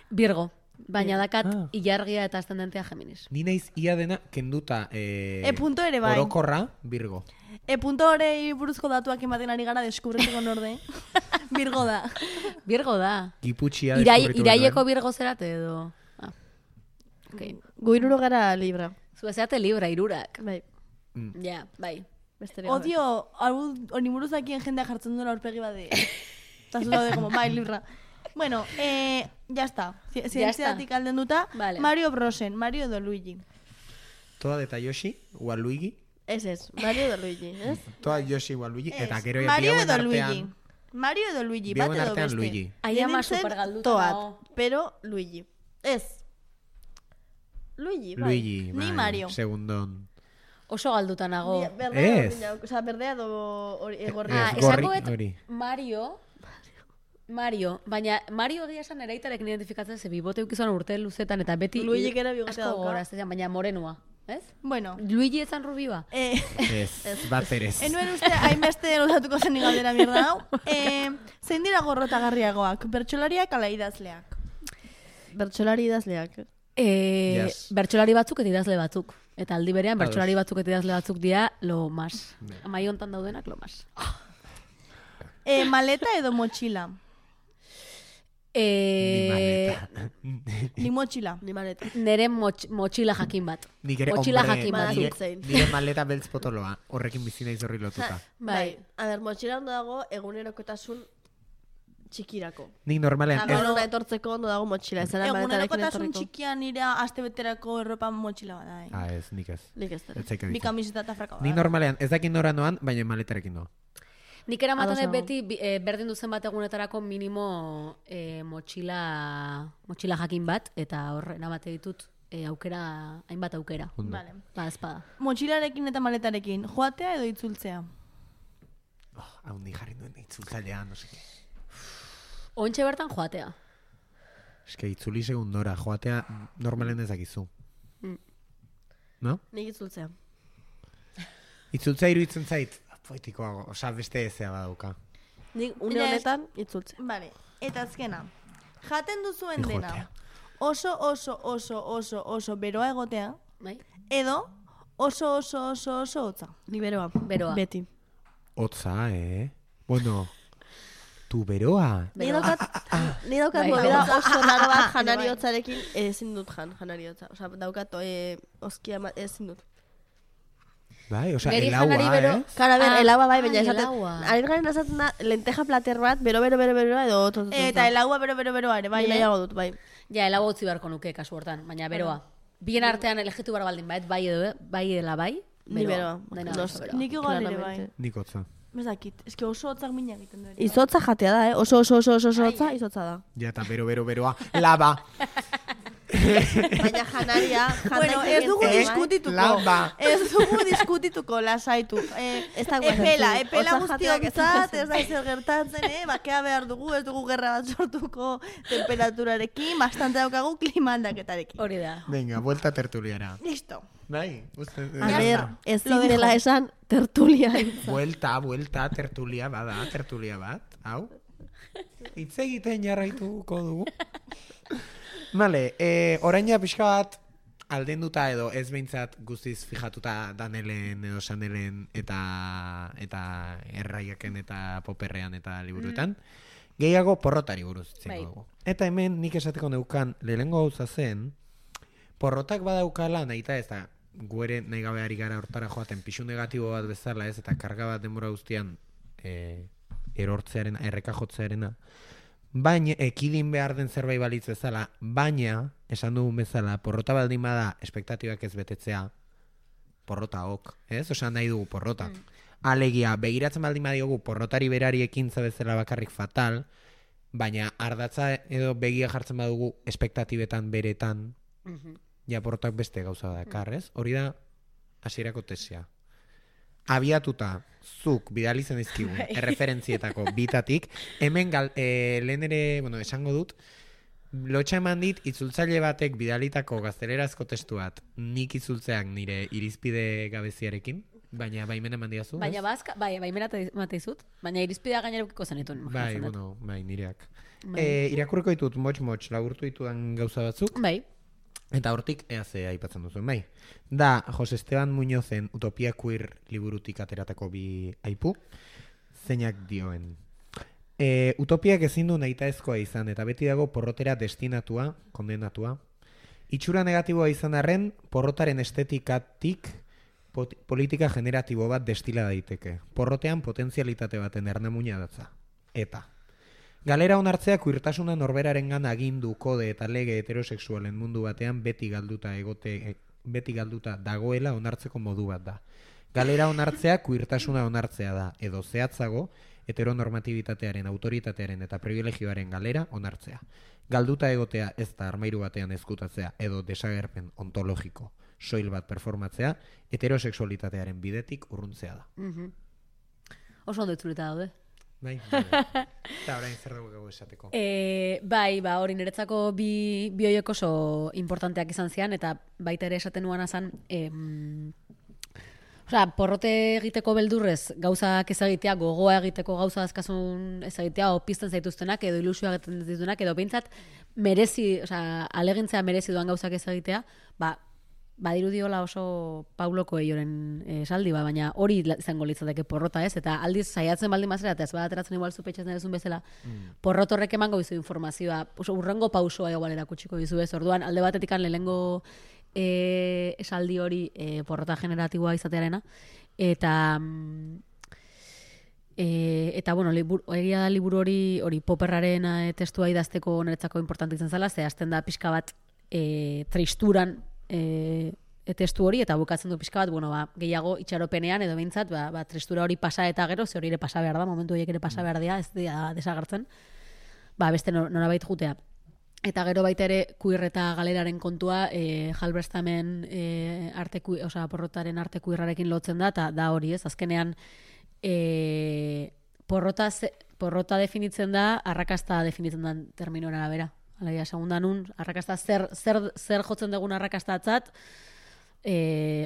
S4: Virgo. Baina dakat
S5: Ah.
S4: ilargia eta ascendentea Geminis.
S5: Ni naiz ia dena kenduta
S6: Punto ere bai.
S5: orokorra, Virgo.
S6: Punto horei buruzko datuak ematen ari gara deskubritzeko norde. Virgo da.
S4: Virgo da.
S5: Giputxia deskubritu
S4: Iraieko Virgo zerate edo. Ah. Okay.
S2: Gu iruro gara Libra.
S4: Zue zeate Libra, irurak.
S2: Bai,
S4: Ja, bai.
S2: besterik gabe.
S6: Odio, hori buruzakien jendea jartzen duela aurpegi bade. Eta zu daude, como, bai, Libra. Bueno, ya está. Zientziatik alden duta.
S4: Vale.
S6: Mario Brosen, Mario edo Luigi.
S5: Toda de Yoshi, ua Luigi.
S2: Ez, Mario de Luigi, ez?
S5: Toda Yoshi, ua Luigi. Eta
S6: Ez,
S5: gero
S6: Mario
S5: bihauen
S6: edo Luigi.
S5: artean...
S6: Mario edo Luigi, bat
S5: Bihauen
S6: edo
S5: artean
S6: beste.
S5: Luigi.
S4: Ai ama
S6: Nintzen
S4: supergalduta
S2: Toat,
S4: nago.
S2: pero Luigi. Ez. Luigi, bai.
S5: Luigi,
S6: Ni
S5: bai,
S6: Mario.
S5: segundon.
S4: Oso galduta nago.
S2: Berdea,
S5: Ez.
S2: osea, berdea do egorria.
S4: Ah,
S5: Ez, gorri,
S4: esango dut
S5: hori.
S4: Mario, baina Mario egia esan eraitarekin identifikatzen ze bibote ukizan urte luzetan eta beti
S2: Luigik ere bigotea
S4: asko
S2: dauka.
S4: goraztean, baina morenua, ez?
S6: Bueno,
S4: Luigi ezan rubiba.
S5: Ez, bat erez.
S6: enuen uste hainbeste luzatuko zen galdera mierda hau. Zein dira gorrotagarriagoak, bertsolariak ala idazleak?
S2: Bertsolari idazleak.
S5: Yes.
S4: Bertsolari batzuk eta idazle batzuk. Eta aldi berean
S5: Ados.
S4: bertsolari batzuk eta idazle batzuk dira lo mas. Amai hontan daudenak lo mas.
S6: Maleta edo motxila?
S5: Ni maleta.
S6: Ni motxila.
S2: Ni maleta.
S4: Nere motxila jakin bat.
S5: Nik ere,
S4: Motxila
S5: hombre,
S4: jakin
S2: badakit
S4: batzuk.
S2: zein.
S5: nire maleta beltz potoloa. Horrekin bizi naiz horri lotuta.
S4: Bai.
S2: A ber, motxila ondo dago egunerokotasun txikirako.
S5: Nik normalean, ez,
S2: Gero etortzeko ondo dago motxila. Ez ara maletarekin
S6: Egunerokotasun
S2: etorriko.
S6: txikian nire astebeterako erropa motxila bada.
S5: ez, nik ez.
S2: Nik ez dara.
S5: Ez zaik
S6: Bi
S5: aditzen.
S6: kamiseta eta fraka
S5: Nik normalean, ez dakit nora noan, baina maletarekin doa.
S4: Nik eramaten
S2: Ados
S4: dut
S2: nago.
S4: beti berdin duzen bat egunetarako minimo motxila jakin bat, eta hor eramate ditut aukera, hainbat aukera.
S5: Ondo.
S6: Vale.
S4: Ba, espada.
S6: Motxilarekin eta maletarekin, joatea edo itzultzea?
S5: Hau ni jarri nuen itzultzailean, no seke.
S4: Ontxe bertan joatea.
S5: Eske itzuli segundora, joatea normalen ez dakizu. No?
S2: Nik itzultzea.
S5: Itzultzea iruditzen zait, poetikoago, osea beste ezea badauka.
S2: Nik une
S6: Baina
S2: honetan itzultze.
S6: Vale, eta azkena. Jaten duzuen
S5: Egotea.
S6: dena. Oso beroa egotea,
S4: Bai?
S6: edo oso hotza.
S2: Ni beroa.
S4: Beroa.
S2: Beti.
S5: Hotza, Bueno, tu beroa.
S2: Ni daukat
S4: Bai,
S2: movida
S6: hotza.
S2: oso raro bat janari
S6: Bai.
S2: hotzarekin ezin dut janari hotza. Osea, daukat oskia ezin dut.
S5: Bai, osea,
S4: Neri
S5: el
S4: janari
S5: agua,
S4: bero-
S2: Kara, ber, elaua bai,
S4: ai,
S2: baina esaten.
S4: elaua.
S2: Ari garen esaten da, lenteja plater bat, bero edo otro.
S6: Eta el agua beroa ere, bai,
S2: Ni nahiago dut, bai.
S4: Ja, elago utzi beharko nuke kasu hortan, baina beroa. Bien artean elegitu behar baldin bait, bai edo, bai edela bai,
S2: Ni beroa.
S4: Dena
S2: No,
S4: oso beroa.
S6: Nik igual ere bai.
S2: Claramente.
S5: Nik hotza.
S6: Ez dakit, eske oso hotzak mina egiten du ere.
S2: Izotza jatea da, Oso hotza, izotza da.
S5: Ja, eta beroa. Laba.
S2: Baina janaria,
S6: Bueno, ez dugu diskutituko.
S5: Laba.
S6: Ez dugu diskutituko, lasaitu.
S2: Ez da
S6: Epela
S2: Hotza jateak ez da
S6: guztiontzat, ez da ezer gertatzen, bakea behar dugu, ez dugu gerra bat sortuko temperaturarekin, bastante daukagu klima aldaketarekin.
S4: Hori da.
S5: Venga, vuelta tertuliara.
S6: Listo.
S5: Bai, uste.
S2: A ber, ez
S6: Lo
S2: dela
S6: dejo.
S2: esan tertulia.
S5: Vuelta, tertulia bat, hau. Hitz egiten jarraituko dugu. Vale, oraina pixka bat aldenduta edo ez behintzat guztiz fijatuta Danelen edo Sanelen eta erraiaken eta poperrean eta liburuetan. Gehiago porrotari buruz hitz egingo dugu. Eta hemen nik esateko neukan lehenengo gauza zen, porrotak badaukala nahita ez da, guere nahi gabe ari gara hortara joaten pixu negatibo bat bezala ez, eta karga bat denbora guztian erortzearen, errekajotzearena, baina ekidin behar den zerbait balitz bezala, baina, esan dugun bezala, porrota baldin bada espektatibak ez betetzea, porrota ok, ez? Osan nahi dugu porrota. Alegia, begiratzen baldin badiogu porrotari berari ekintza bezala bakarrik fatal, baina ardatza edo begia jartzen badugu espektatibetan beretan, ja porrotak beste gauza dakar, ez? Hori da hasierako tesia. Abiatuta, zuk bidali zen dizkigun erreferentzietako bitatik, hemen lehen ere, bueno, esango dut, lotxa eman dit itzultzaile batek bidalitako gaztelerazko testu bat, nik itzultzeak nire irizpide gabeziarekin, baina baimen eman diazu, ez?
S4: Baina bazka, baimena emate dizut, baina irizpidea gainerukiko zenitun.
S5: Bai, bueno, bai, nireak. Irakurriko ditut, motx, lagurtu ditudan gauza batzuk,
S4: Bai.
S5: eta hortik EAC aipatzen duzuen, bai. Da, Jose Esteban Muñozen Utopia Queer liburutik ateratako bi aipu, zeinak dioen. Utopiak ezin du nahitaezkoa izan, eta beti dago porrotera destinatua, kondenatua. Itxura negatiboa izan arren, porrotaren estetikatik politika generatibo bat destila daiteke. Porrotean potentzialitate baten ernamuina datza. Eta galera onartzea queertasuna norberarengan agindu, kode eta lege heterosexualen mundu batean beti galduta dagoela onartzeko modu bat da. Galera onartzea queertasuna onartzea da, edo zehatzago heteronormatibitatearen, autoritatearen eta privilegioaren galera onartzea. Galduta egotea ez da armairu batean ezkutatzea edo desagerpen ontologiko soil bat performatzea, heterosexualitatearen bidetik urruntzea da.
S4: Oso ondo itzulita daude.
S5: Bai, eta orain zer dugu esateko.
S4: Bai, hori niretzako bi horiek oso importanteak izan zian, eta baita ere esaten nuan azan, porrote egiteko beldurrez gauzak ez egitea, gogoa egiteko gauza azkasun ez egitea, o pizten zaituztenak, edo ilusioa egiten ditunak, edo behintzat alegintzea merezi duan gauzak ez egitea, badirudiola oso Paulo Coelhoren esaldi, baina hori izango litzateke porrota, ez? Eta aldiz saiatzen baldin bazera, eta ez badateratzen igual zupetxatzen duzun bezala, porrot horrek emango bizu informazioa, urrengo pausoa igual erakutsiko dizu, ez? Orduan, alde batetik lehenengo esaldi hori porrota generatiboa izatearena, eta bueno, egia da liburu hori Popperraren testua idazteko niretzako importante izan zela, ze hasten da pixka bat tristuran testu hori, eta bukatzen du pixka bat, bueno, gehiago itxaropenean, edo behintzat, tristura hori pasa eta gero, ze hori ere pasa behar da, momentu horiek ere pasa behar dira, ez dira desagertzen, beste norabait jutea. Eta gero baita ere, queer eta galeraren kontua, Halberstamen porrotaren arte queerrarekin lotzen da, eta da hori ez, azkenean, porrota definitzen da, arrakasta definitzen da terminoen arabera. Alaia, segundan nun, arrakasta zer jotzen dugun arrakastatzat,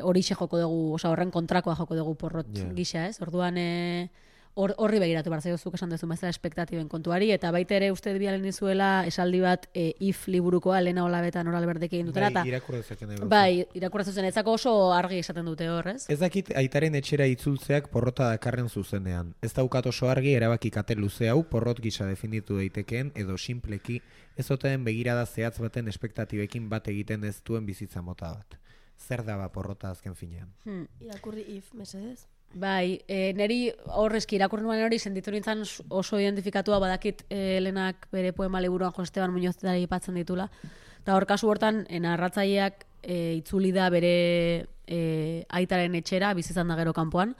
S4: hori joko dugu, horren kontrakoa joko dugu porrot gisa, ez? Orduan, horri begiratu behar zaiozuk esan duzu bezala espektatiben kontuari, eta baita ere uste bialen dizuela esaldi bat if liburukoa Lena Olabetan Oral Berdek egin dutela.
S5: Bai, irakurratzen
S4: Bai, irakurratzen etzako oso argi esaten dute hor, ez?
S5: Ez dakit aitaren etxera itzultzeak porrota dakarren zuzenean. Ez daukat oso argi erabaki kate luze hau porrot gisa definitu daitekeen edo sinpleki ez oteen begirada zehatz baten espektatibekin bat egiten ez duen bizitza mota bat. Zer daba porrota azken finean?
S2: Irakurri if, mesedez.
S4: Bai, neri horrezki irakurri nuen hori sentitu nintzen oso identifikatua badakit Lenak bere poema liburuan Jose Esteban Muñoz aipatzen ditula. Eta hor kasu hortan, narratzaileak itzuli da bere aitaren etxera, bizizan da gero kanpoan,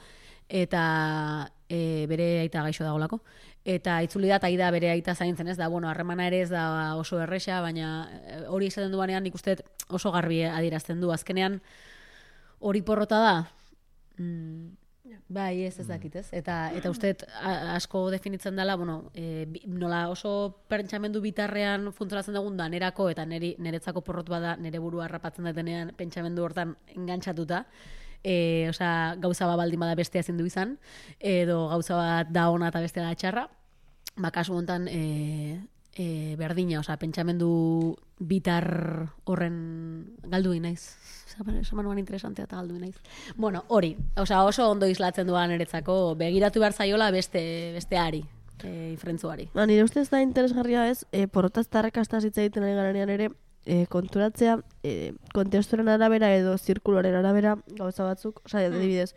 S4: eta bere aita gaixo dagolako. Eta itzuli da, eta da bere aita zaintzen ez da, bueno, harremana ere ez da oso erresa, baina hori esaten duanean nik uste oso garbi adierazten du. Azkenean hori porrota da, bai, ez dakit, ez? Eta uste asko definitzen dela, bueno, nola oso pentsamendu bitarrean funtzionatzen dugun da nerako eta neretzako porrot bada nere burua harrapatzen detenean pentsamendu hortan engantzatuta. Osea, gauza bat baldin bada bestea ezin du izan, edo gauza bat da ona eta bestea da txarra. Ba, kasu hontan berdina, osea, pentsamendu bitar horren galdu naiz. Esan interesantea eta galdu naiz. Bueno, hori, osea, oso ondo islatzen duan eretzako, begiratu behar zaiola besteari, ifrentzuari.
S2: Ba, nire ustez da interesgarria ez, porrotaz tarrakastaz hitz egiten ari garanean ere, konturatzea, kontestuaren arabera edo zirkuloaren arabera gauza batzuk, osea, adibidez,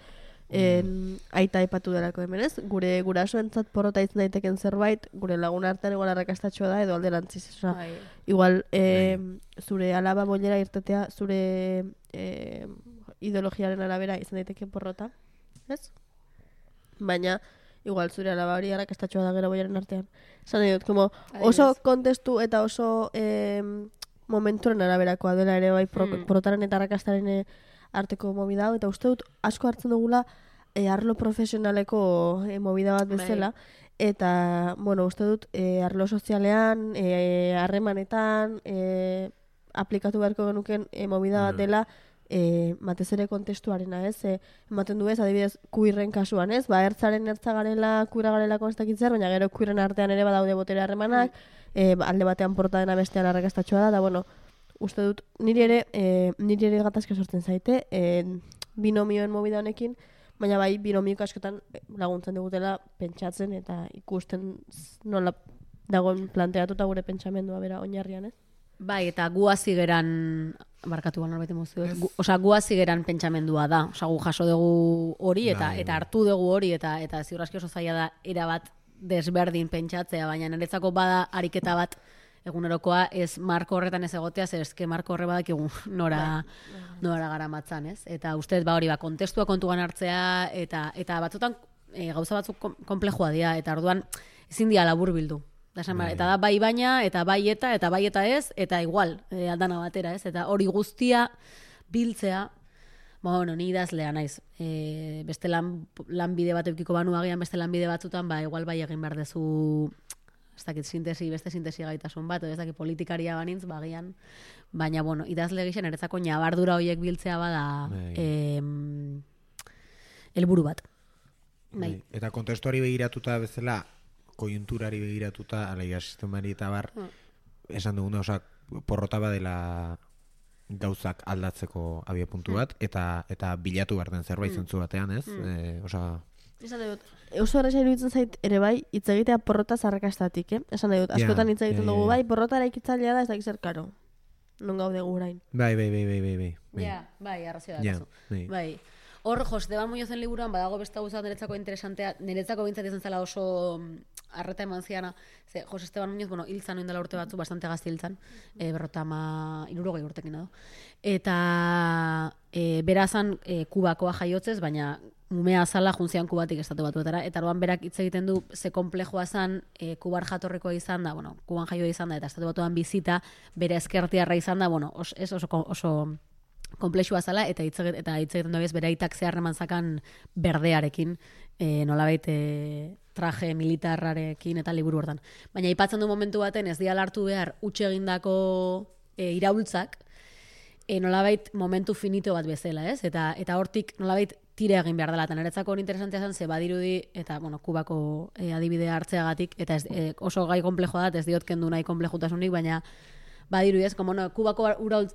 S2: aita aipatu delako hemen ez, gure gurasoentzat porrota izan daiteken zerbait, gure lagun artean igual arrakastatxoa da edo alderantziz, osea, igual zure alaba bollera irtetea, zure ideologiaren arabera izan daiteke porrota, ez? Baina, igual zure alaba hori arrakastatxoa da gero bollaren artean. Esan nahi dut, como oso kontestu eta oso momenturen araberakoa dela ere bai porrotaren eta arrakastaren arteko movida hau, eta uste dut asko hartzen dugula arlo profesionaleko movida bat bezala, eta, bueno, uste dut arlo sozialean, harremanetan, aplikatu beharko genuken movida bat dela, batez ere kontestuarena, ez? Ematen du ez, adibidez, kuirren kasuan, ez? Ba, ertzaren ertza garela, kuira garela konstakitzer, baina gero kuirren artean ere badaude botere harremanak, alde batean porta dena bestean arrakastatxoa da, bueno, uste dut, niri ere gatazka sortzen zaite, binomioen movida honekin, baina bai binomioak askotan laguntzen digutela pentsatzen eta ikusten nola dagoen planteatuta gure pentsamendua bera oinarrian, ez?
S4: Bai, eta gu hasi geran, barkatu norbait emozio, osea, gu hasi geran pentsamendua da, osea, gu jaso dugu hori eta hartu dugu hori eta ziur aski oso zaila da erabat desberdin pentsatzea, baina niretzako bada ariketa bat egunerokoa ez marko horretan ez egotea, zer eske marko horre badak egun nora garamatzan, ez? Eta ustez hori kontestua kontuan hartzea eta batzutan gauza batzuk konplexua dira eta orduan ezin dira laburbildu. Eta da bai baina eta bai eta ez eta igual aldana batera, ez? Eta hori guztia biltzea, bueno, ni idazlea naiz. Beste lanbide bat edukiko banu agian beste lanbide batzutan, ba igual bai egin behar dezu ez dakit beste sintesi gaitasun bat, edo ez dakit politikaria banintz, bagian, baina, bueno, idazle gixen eretzako nabardura horiek biltzea bada helburu bat. Bai.
S5: Eta kontestuari begiratuta bezala, koiunturari begiratuta, alaia sistemari eta bar, esan duguna, osa, porrota badela gauzak aldatzeko abiapuntu bat, eta bilatu behar den zerbait zentzu batean, ez?
S2: Esan dut, oso erresa iruditzen zait ere bai, hitz egitea porrotaz arrakastatik, Esan dut, askotan hitz egiten dugu bai, porrota eraikitzailea da ez dakiz zer karo. Non gaude gurain.
S5: Bai.
S4: Ja, bai, arrazioa dakazu. Bai. Hor, Jose Esteban Muñozen liburuan badago beste gauza niretzako interesantea, niretzako bintzat izan zela oso arreta eman ziana, ze Jose Esteban Muñoz, bueno, hiltzan oindela urte batzu, bastante gazti hiltzan, 50 urtekin edo. Eta berazan Kubakoa jaiotzez, baina umea azala juntzian Kubatik estatu batuetara, eta orduan berak hitz egiten du ze konplexua zan, Kubar jatorrekoa izan da, bueno, Kuban jaioa izan da, eta estatu batuan bizita, bere ezkertiarra izan da, bueno, oso konplexua zala, eta hitz egiten du bere aitak zeharreman zakan berdearekin, nolabait traje militarrarekin eta liburu hortan. Baina aipatzen du momentu baten ez diala hartu behar utxe egindako iraultzak, nolabait momentu finito bat bezala, ez? Eta hortik nolabait tira egin behar dela, eta niretzako hori interesantea zen, ze badirudi, eta, bueno, Kubako adibidea hartzeagatik, eta oso gai komplejoa da, ez diot kendu nahi konplejutasunik, baina badirudi ez, como no, Kubako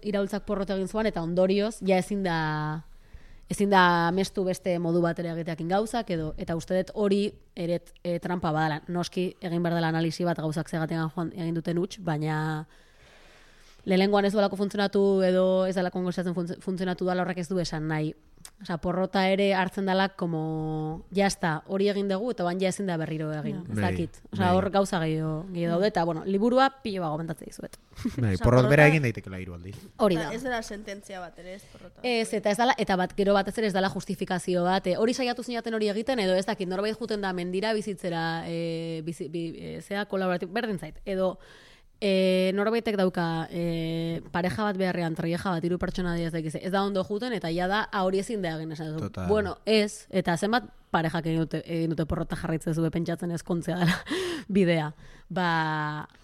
S4: iraultzak porrot egin zuan, eta ondorioz, ja ezin da mestu beste modu batera egiteakin gauzak, eta uste dut hori eret trampa badala. Noski egin behar dela analisi bat gauzak zegatean joan egin duten huts, baina lehenengoan ez duelako funtzionatu edo ez delako kongozatzen funtzionatu dela horrek ez du esan nahi. Osa, porrota ere hartzen dela como, jazta, hori egin dugu, eta bain ja ezin da berriro egin. Ez dakit. Osa, hor gauza gehiago daude, eta, bueno, liburua pilo gomentatze dizuet.
S5: Porrot bera egin daitekela hiru aldiz.
S4: Hori da.
S6: Ez dela sententzia bat ere, ez porrota.
S4: Ez, eta ez dela, eta gero batez ere ez dela justifikazio bat. Hori saiatu zinaten hori egiten, edo ez dakit, norbait juten da mendira bizitzera, zea kolaboratib, berdin zait. Edo, norbaitek dauka pareja bat beharrean, traieja bat, 3 pertsona diaz dakize. Ez da ondo juten, eta ja da, hori ezin da egin esan dut. Bueno, ez, eta zenbat parejak egin dute porrota jarraitzen zube pentsatzen ezkontzea dela bidea.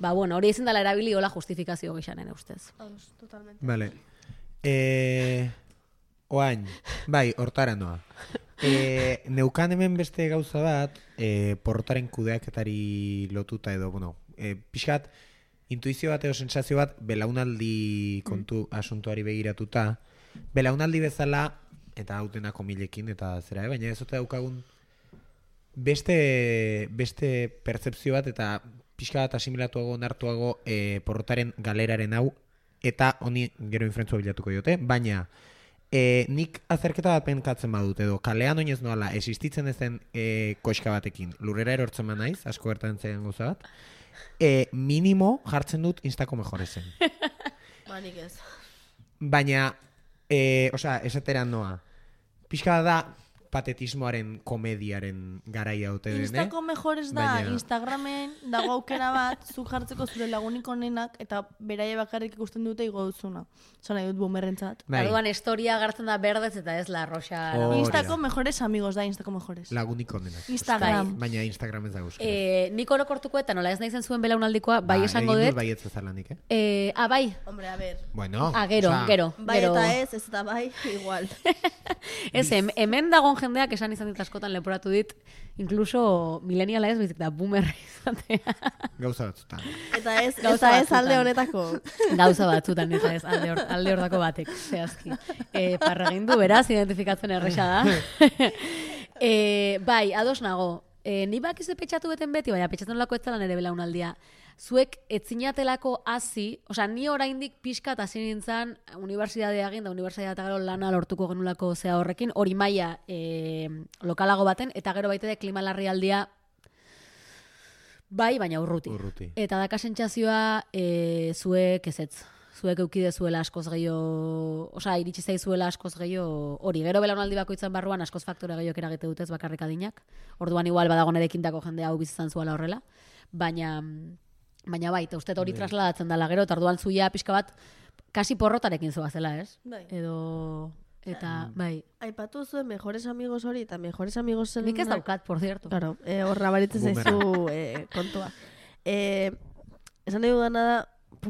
S4: Bueno, hori ezin dela erabili hola justifikazio gixanen ustez.
S6: Totalmente.
S5: Vale. Oain, bai, hortara noa. Neukan hemen beste gauza bat, porrotaren kudeaketari lotuta edo, bueno, pixkat, intuizio bat edo sensazio bat belaunaldi kontu asuntuari begiratuta. Belaunaldi bezala, eta hau dena komilekin, eta zera, baina ez ote daukagun beste pertzepzio bat, eta pixka bat asimilatuago, onartuago porrotaren galeraren hau, eta honi gero infrentzua bilatuko diote, baina nik azerketa bat penkatzen badut, edo kalean oinez noala existitzen ezen koxka batekin, lurrera erortzen ba naiz, asko gertatzen zaidan gauza bat, minimo jartzen dut Instako mejorezen.
S6: Nik ez.
S5: Baina, esateran noa, pixka da patetismoaren, komediaren garaia ote den,
S6: Instako mejores da, Instagramen dago aukera bat, zuk jartzeko zure lagunik onenak, eta beraie bakarrik ikusten dute igo duzuna. Zona nahi dut bumerrentzat.
S4: Orduan historia gartzen da berdez eta ez la roxa.
S6: Instako mejores amigos da, Instako mejores.
S5: Lagunik onenak.
S6: Instagram.
S5: Baina Instagram ez da guzti.
S4: Nik orokortuko eta nola ez naizen zuen belaunaldikoa, bai esango dut.
S5: Egin dut baietz ezalanik,
S4: bai.
S6: Hombre, a ver.
S5: Bueno.
S4: Gero.
S6: Bai eta ez eta bai, igual.
S4: Ez, hemen dagon jendeak esan izan dit askotan leporatu dit, incluso mileniala ez, bizik da boomerra izatea.
S5: Gauza batzutan.
S6: Eta ez alde honetako.
S4: Gauza batzutan, eta ez alde hordako batek, zehazki. Parragindu, beraz, identifikatzen erresa da. Bai, ados nago. Ni bakizu petxatu beten beti, baina petxatzen lako ez zela nere belaunaldia. Zuek etzinatelako hasi, osea, ni oraindik pixka eta hasi nintzen unibertsitatea egin, da unibertsitatea gero lana lortuko genulako zea horrekin, hori maila lokalago baten, eta gero baite de klima larrialdia bai, baina urruti. Eta daka sentsazioa zuek ezetz. Zuek eukide zuela askoz gehiago, osea, iritsi zaizuela askoz gehiago hori. Gero belaunaldi bakoitzan barruan askoz faktore gehiago eragite dutez bakarrik adinak. Orduan igual badago nerekintako jendea hau bizitzan zuela horrela. Baina bai, eta uste hori trasladatzen dela gero, eta orduan zuia pixka bat kasi porrotarekin zoazela, ez?
S6: Bai.
S4: Eta, bai.
S2: Aipatu zuen mejores amigos hori, eta mejores amigos zen...
S4: Nik ez daukat, por cierto.
S2: Claro, horra baritzen zaizu kontua. Esan nahi dudana da,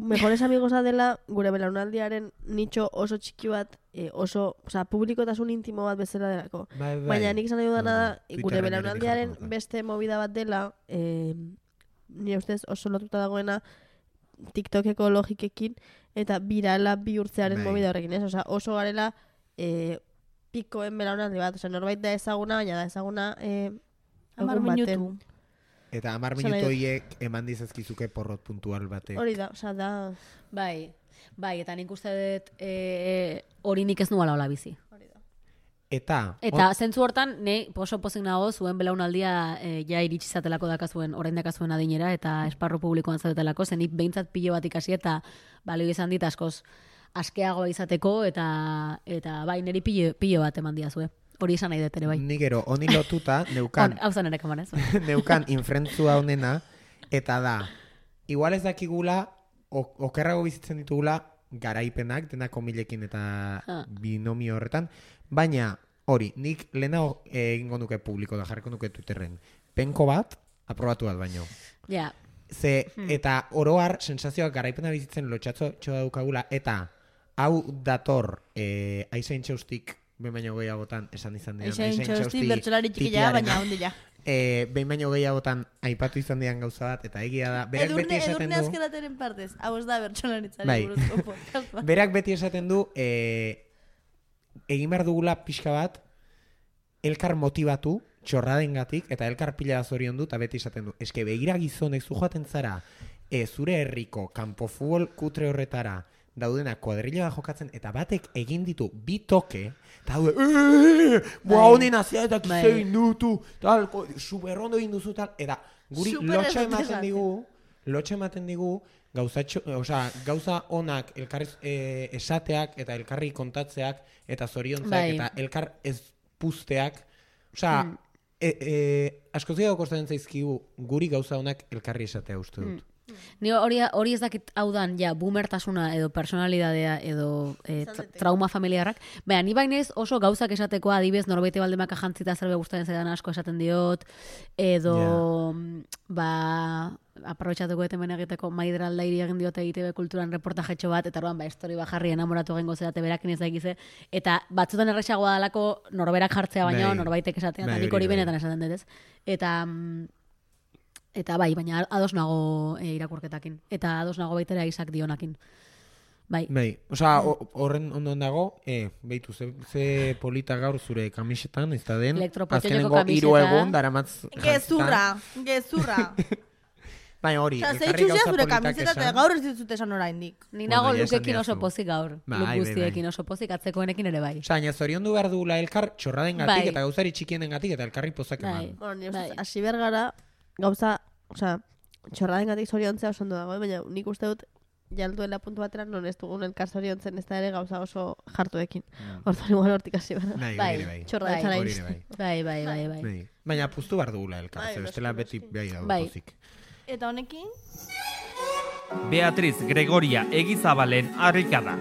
S2: mejores amigos dela gure belaunaldiaren nitxo oso txiki bat, osea, publikotasun intimo bat bezala delako. Baina nik esan nahi dudana da, gure belaunaldiaren beste movida bat dela, nire ustez oso lotuta dagoena TikTokeko logikekin eta birala bihurtzearen movida horrekin, ez? Osea, oso garela pikoen belaunaldi bat, osea, norbait da ezaguna, baina da ezaguna
S6: 10 minutu.
S5: Eta 10 minutu horiek eman dizazkizuke porrot puntual batek.
S6: Hori da, osea, da...
S4: Bai, eta nik uste dut hori nik ez nuala hola bizi.
S5: Eta
S4: zentzu hortan, oso pozik nago zuen belaunaldia ja iritsi zatelako dakazuen, orain dakazuen adinera, eta esparru publikoan zaudetelako, zen nik behintzat pilo bat ikasi eta balio izan dit askoz askeagoa izateko, eta bai, niri pilo bat eman diazue. Hori esan nahi dut ere, bai.
S5: Ni gero, honi lotuta, neukan...
S4: Hau zan ere kaman ez.
S5: Neukan infrentzua honena, eta da, igual ez dakigula, okerrago bizitzen ditugula, garaipenak, dena komilekin eta binomio horretan, baina hori, nik lehenago egingo nuke publiko da, jarriko nuke Twitterren. Penko bat, aprobatu bat baino.
S4: Ja.
S5: Eta oroar sensazioak garaipena bizitzen lotxatxo daukagula, eta hau dator aizain txaustik behin baino gehiagotan esan izan dian.
S6: Eixen txosti bertsolari txikila, baina ondila.
S5: Behin baino gehiagotan aipatu izan dian gauza bat, eta egia da, berak beti esaten
S6: Edurne
S5: du...
S6: azkerateren partez, hau ez da bertsolaritzari
S5: Bai.
S6: buruzko podcast bat.
S5: Berak beti esaten du, egin behar dugula pixka bat, elkar motibatu, txorradengatik, eta elkar pila zorion du, eta beti esaten du. Eske begira gizonek zu joaten zara, zure herriko kanpo futbol kutre horretara, daudena kuadrilla jokatzen, eta batek egin ditu bi toke, eta daude, boa honen azia eta kize egin dutu, tal, superrondo egin duzu, tal, eta guri lotxa ematen digu, gauza onak elkarriz esateak, eta elkarri kontatzeak, eta zoriontzak, eta elkar ez puzteak, asko zidago kostatzen zaizkigu guri gauza onak elkarri esatea uste dut.
S4: Ni hori ez dakit hau dan, boomertasuna edo personalidadea edo trauma familiarrak. Baina, ni bainez oso gauzak esateko adibez norbaite baldemaka jantzita zerbe gustatzen zaidan asko esaten diot, edo, aprobetxatuko hemen egiteko Maider Aldairi egin diote ITV kulturan reportajetxo bat, eta orduan, estori bajarri enamoratu gengo zedate berakin ez dakize, eta batzutan erresagoa dalako norberak jartzea baina norbaitek esatea, eta nik hori benetan esaten dut ez. Eta bai, baina ados nago irakurketakin. Eta ados nago baitera Isaac Dionakin. Bai.
S5: Horren ondoen dago, behitu, ze polita gaur zure kamisetan, ez da den,
S4: azkenengo
S5: 3 egun, daramatz...
S6: Gezurra.
S5: Baina hori,
S6: elkarri gauza politak esan. Eta gaur ez ditut esan oraindik.
S4: Ni nago lukekin oso pozik gaur. Luk guztiekin oso pozik, atzekoenekin ere bai.
S5: Baina zoriondu behar dugula elkar txorraden gatik, eta gauzari txikienen gatik, eta elkarri pozak eman.
S2: Hasi bergara, gauza, txorraden gatik zoriontzea oso ondo dago, baina nik uste dut jalduela puntu batera non ez dugun elkar zoriontzen ez da ere gauza oso jartuekin. Orduan igual hortik hasi behar.
S5: Bai.
S2: Txorraden zara
S4: Bai.
S5: Baina puztu behar dugula elkar, bestela beti bai dago pozik.
S6: Eta honekin?
S1: Beatriz Gregoria Egizabalen harrikada.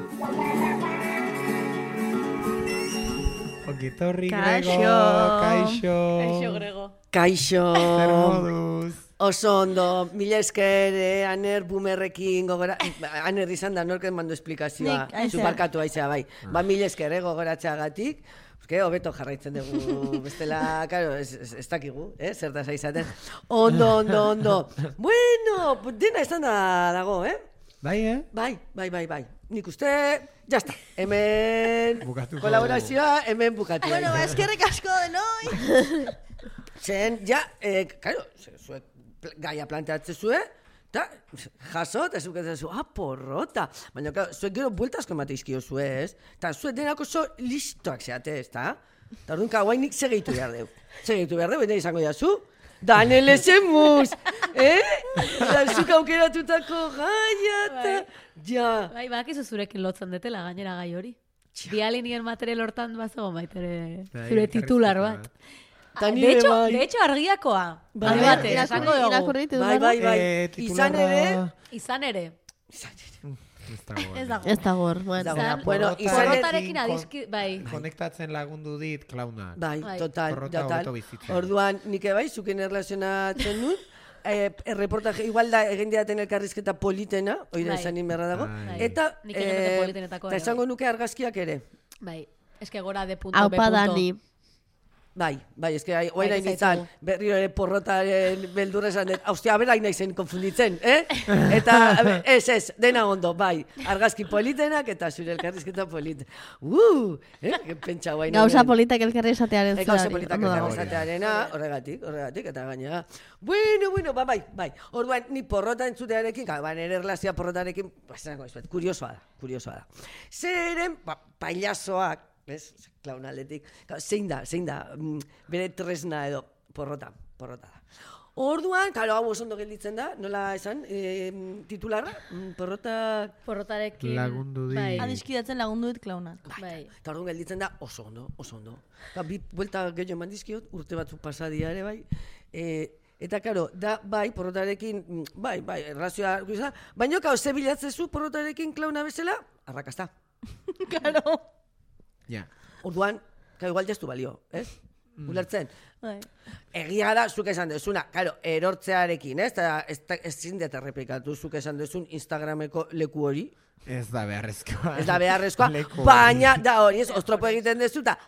S5: Okitorri Grego,
S6: Kaixo Grego.
S7: Kaixo.
S5: Zer moduz.
S7: Oso ondo, mila esker, Aner bumerrekin gogora... Aner izan da norken mando esplikazioa. Zuparkatu aizea, bai. Mila esker, gogoratzeagatik. Hobeto jarraitzen dugu, bestela, claro, ez dakigu, zertaz aizaten. Ondo. Bueno, dena izan dago,
S5: Bai,
S7: Bai. Nik uste, jazta. Hemen kolaborazioa, hemen bukatu.
S6: Bueno, eskerrik asko denoi.
S7: Zen, claro, zuek gaia planteatzen zuen, eta jaso, eta zuketzen zuen, porrota. Baina, zuek gero bueltazko emateizkio zuen, ez? Eta zuek denako oso listoak zeate, ez da? Eta orduan, guainik segitu behar deu. Eta izango jazu, Daniel Esemuz, Eta zuk aukeratutako gaia, eta... Ja.
S4: Bai, bakizu zurekin lotzen detela, gainera gai hori. Bialinien material hortan bazo baitere zure titular bat. De hecho, argiakoa.
S7: Bai.
S4: Izan ere.
S2: Ez da gor.
S7: Bueno,
S4: porrotarekin adizki, bai.
S5: Konektatzen lagundu dit klaunak.
S7: Bai, total. Orduan, nik bai, zuken erlazionatzen nun, reportaje, igual da, egin diaten elkarrizketa politena, oida esanin berra dago, eta esango nuke argazkiak ere.
S4: Bai, eske gora de punto,
S2: Aupa Dani.
S7: Bai, eske oain hain izan, berriro ere porrotaren beldurra esan dut, haustia, bera hain naizen konfunditzen, Eta, ez, dena ondo, bai, argazki politenak eta zure elkarrizketa politen. Pentsa guain.
S2: Gauza politak elkarri esatearen
S7: zari. Gauza politak elkarri esatearena, horregatik, eta gaina. Bueno, bai. Orduan, ni porrota entzutearekin, nire erlazioa porrotarekin, kuriosoa da. Zeren, pailazoak, ez, klaunaletik, zein da, bere tresna edo porrota da. Orduan, hau oso ondo gelditzen da, nola esan, titularra,
S4: porrotarekin
S5: lagundu di.
S6: Adiskidatzen lagundu dit klaunak.
S7: Bai. Eta orduan gelditzen da oso ondo. Bi buelta gehiago eman dizkiot, urte batzuk pasadia ere bai, eta karo, da bai, porrotarekin, bai, errazioa, baina ze bilatzezu porrotarekin klauna bezala, arrakasta.
S6: Karo.
S5: Ja.
S7: Orduan, igual jaztu balio, ez? Ulertzen? Egia da, zuk esan duzuna, erortzearekin, ez? Ez zindet errepikatu zuk esan duzun Instagrameko leku hori,
S5: Ez da beharrezkoa.
S7: Ez da beharrezkoa,
S5: Leku
S7: baina, da hori ez, ostropo egiten dezu, eta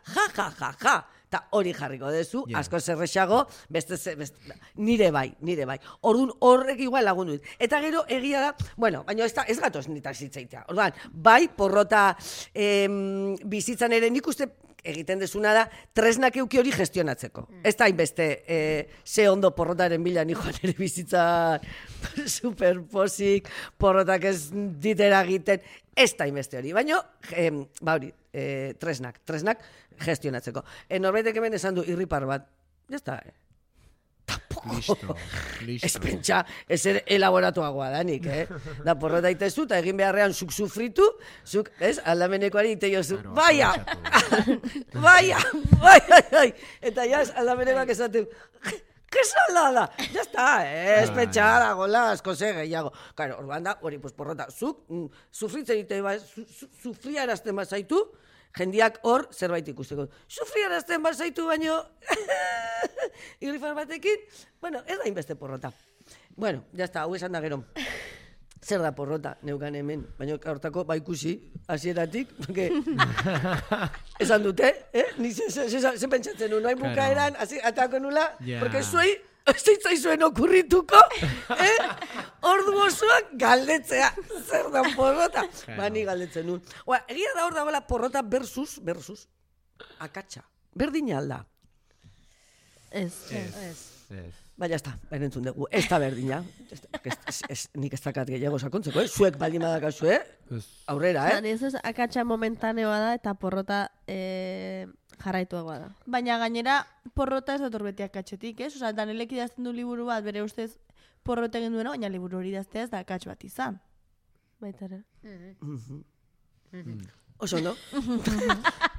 S7: ja. Eta hori jarriko dezu,
S5: Yeah.
S7: asko zerrexago, nire bai. Orduan horrek igual lagundu dit. Eta gero egia da, bueno, baina ez gatoz nitak zitzaitea. Orduan, bai, porrota bizitzan ere nik uste egiten dezuna da, tresnak euki hori gestionatzeko. Ez da hainbeste, ze ondo porrotaren bila ni joan ere bizitzan superposik, porrotak ez ditera egiten, ez da hainbeste hori. Baina, ba hori, tresnak gestionatzeko. Norbaitek hemen esan du irripar bat, ez da,
S5: Listo.
S7: ez pentsa, ez ere elaboratuagoa danik, Da porrota itezu, eta egin beharrean zuk sufritu, zuk, ez, aldamenekoari ite jozu, baia! Eta jaz, aldamenekoak esaten, que salada! Ya está, ez pentsa dagoela, asko ze gehiago. Claro, orduan da, hori, pues porrota, zuk, sufritzen ite, sufriarazten bazaitu, jendiak hor zerbait ikusteko. Sufriarazten bazaitu baino, irrifar batekin, bueno, ez da inbeste porrota. Bueno, ya está, hau esan da gero. Zer da porrota, neukan hemen, baina hortako ikusi hasieratik, esan dute, ni ze pentsatzen nuen, noain bukaeran, atako nula, porque zuei, ez zitzaizuen okurrituko, ordu osoak galdetzea, zer da porrota. Ni galdetzen nuen. Egia da hor dagoela porrota versus akatsa. Berdina alda.
S2: Ez.
S7: Baina ez da, entzun dugu, ez da berdina. Nik ez dakat gehiago sakontzeko, zuek baldin badakazu, aurrera,
S2: Ez akatsa momentaneoa da eta porrota jarraituagoa da.
S6: Baina gainera porrota ez dator beti akatsetik, ez? Osa, Danelek idazten du liburu bat, bere ustez porrota egin duena, baina liburu hori idaztea ez da akats bat izan.
S2: Baita ere.
S7: Oso ondo.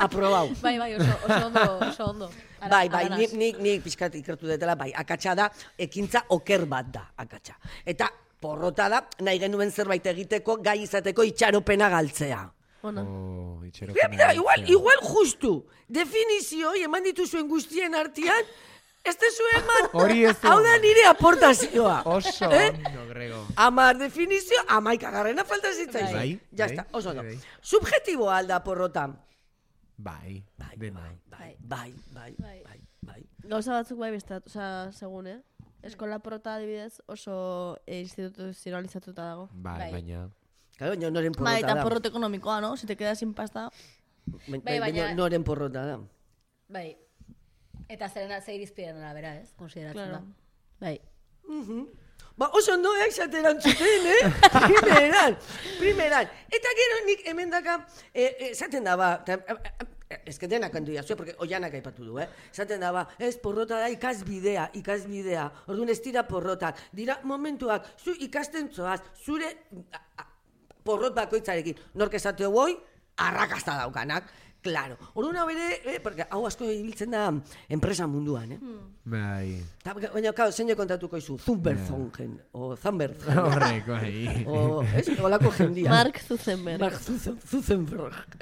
S7: Aprobau.
S4: Bai, oso ondo.
S7: Bai, nik pixkat ikertu detela, bai, akatsa da, ekintza oker bat da, akatsa. Eta porrota da, nahi genuen zerbait egiteko, gai izateko itxaropena galtzea.
S2: Ona.
S7: Mira, igual justu, definizio, eman dituzuen guztien artean, ez tezu eman, hau da nire aportazioa.
S5: Oso ondo, Grego.
S7: 10 definizio, 11garrena falta zitzaizu.
S5: Bai,
S7: Ya está, oso ondo. Subjetiboa alda porrota.
S5: Bai.
S2: Gauza batzuk bai bestat, osea, segun, Eskola porrota adibidez oso instituzionalizatuta dago.
S5: Bai, baina...
S7: Claro, baina noren porrota
S6: Bai,
S7: da.
S6: eta porrota ekonomikoa, no? Si te quedas sin pasta...
S7: Baina noren porrota da.
S4: Bai. Eta ze irizpideen arabera, ez? Konsideratzen da. Bai.
S7: Ba, oso ondo esateran zuten, Primeran. Eta gero nik hemen daka, esaten da, ba, ez que denak handu jazue, porque oianak aipatu du, esaten da, ba, ez porrota da ikasbidea. Orduan ez dira porrotak. Dira momentuak, zu ikasten zoaz, zure porrot bakoitzarekin. Nork esate hoi, arrakasta daukanak. Claro. Orduan hau ere, porque hau asko ibiltzen da enpresa munduan,
S5: Bai.
S7: Baina, zein kontatuko izu, Zumberzongen, o Zambergen.
S5: Horrek, bai.
S7: Olako jendia.
S2: Mark Zuckerberg.
S7: Zuckerberg.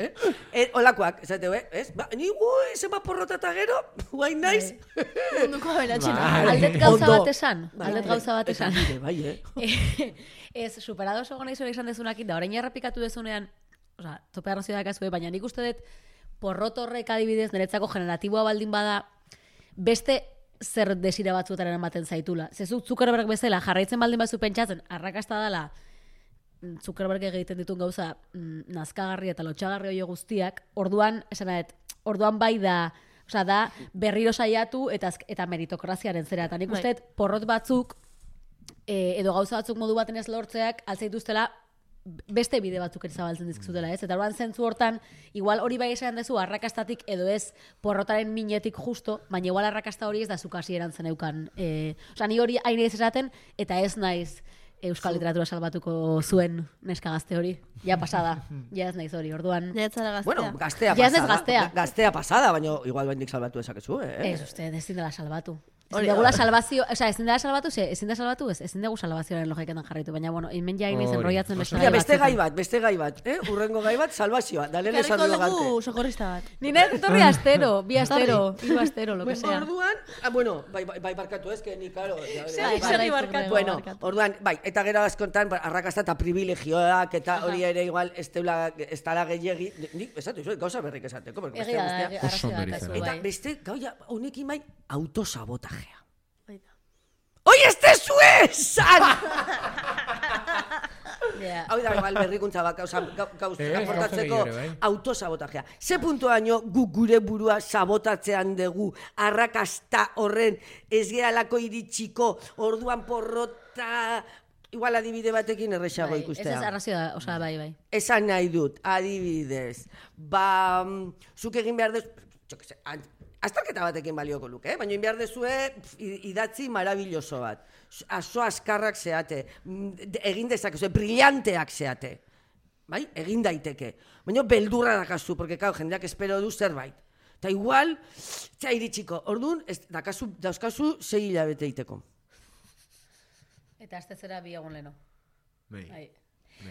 S7: Olakoak, esateu, ez? Ni zema porrota eta gero, guain naiz.
S6: Munduko aberatxena.
S4: Aldet gauza bat esan.
S7: Bai,
S4: Ez, superado oso gona izan dezunakin, da orain errepikatu dezunean, oza, tope arrazio dakazue, baina nik uste dut porrot horrek adibidez, niretzako generatiboa baldin bada, beste zer desira batzuetaren ematen zaitula. Zezuk Zuckerberg bezala jarraitzen baldin bazu pentsatzen, arrakasta dela, Zuckerberg egiten ditun gauza nazkagarri eta lotxagarri hori guztiak, orduan bai da, osea, da berriro saiatu eta meritokraziaren zera. Eta nik uste dut porrot batzuk, edo gauza batzuk modu baten ez lortzeak, altzaituztela beste bide batzuk ere zabaltzen dizkizutela, ez? Eta orduan zentzu hortan, igual hori bai esan dezu arrakastatik edo ez porrotaren minetik justo, baina igual arrakasta hori ez da zuk hasieran zeneukan. Osea, ni hori hain ez esaten, eta ez naiz euskal literatura salbatuko zuen neska gazte hori. Ja pasada, ja ez naiz hori, orduan.
S2: Ja ez zara gaztea.
S7: Bueno, gaztea
S4: Ja ez
S7: pasada.
S4: gaztea.
S7: Gaztea pasada, baina igual bendik salbatu esakezu,
S4: Ez uste, ezin dela salbatu. Ezin degula salvazio, ezin da salbatu, ezin dugu salvazioaren logiketan jarraitu, baina bueno, hemen ja iniz enrollatzen beste
S7: Ja, beste gai bat, urrengo gai bat, salvazioa, da lehen esan dugu
S6: Karriko dugu socorrista bat.
S4: Nire etorri astero, bi astero, hiru astero, lo que sea.
S7: Orduan, bueno, bai barkatu ez, que ni, claro.
S6: Segi barkatu.
S7: Bueno, orduan, bai, eta gero askontan, arrakasta eta privilegioak, eta hori ere igual, ez dala gehiagi, nik esatu, gauza berrik esateko, porque beste guztia.
S4: Oso ondo izan.
S7: Eta beste, gauia, honekin bai, autosabotajea.
S6: Baita.
S7: ¡Oi, este esan!
S4: Yeah.
S7: Hau da, igual, berrikuntza bat, gauzportatzeko autosabotajea. Ze puntuaino guk gure burua sabotatzean dugu, arrakasta horren ez gehalako iritsiko, orduan porrota, igual adibide batekin errexago ikustea.
S4: Ez arrazioa, osea, bai.
S7: Esan nahi dut, adibidez, zuk egin behar dez, azterketa batekin balioko luke, baina egin behar dezue idatzi marabilloso bat. Aso askarrak zeate, egin dezakezue, brillanteak zeate. Bai, egin daiteke. Baina beldurra dakazu, porque jendeak espero du zerbait. Eta igual, txai iritsiko, orduan, dauzkazu 6 hilabete iteko.
S4: Eta aztezera bi egun leno.
S5: Bai.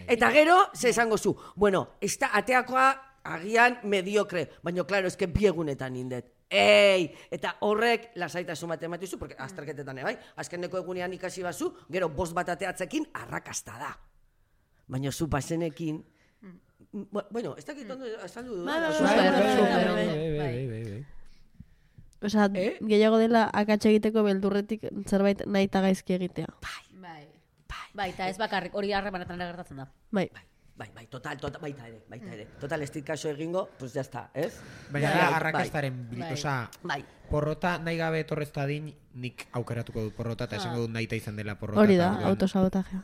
S7: Eta gero, ze esango zu, bueno, ateakoa agian mediokre, baina, klaro, eske biegunetan indet. Eta horrek lasaitasun bat ematizu, porque azterketetan, bai? Azkeneko egunean ikasi bazu, gero 5 bat ateatzekin arrakasta da. Baina zu pasenekin, bueno, ez dakit ondo azaldu du.
S5: Bai.
S2: Osea, gehiago dela akatsa egiteko beldurretik zerbait nahi eta gaizki egitea.
S4: Bai, eta ez bakarrik, hori harremanetan ere gertatzen da.
S2: Bai.
S7: Bai, total, baita ere. Total, ez dit kaso egingo, pues ya está, ez?
S5: Baina da, arrakastaren, osea,
S7: Bai.
S5: porrota nahi gabe etorrez dadin, nik aukeratuko dut porrota, eta esango dut nahi izan dela porrota.
S2: Hori da, autosabotajea.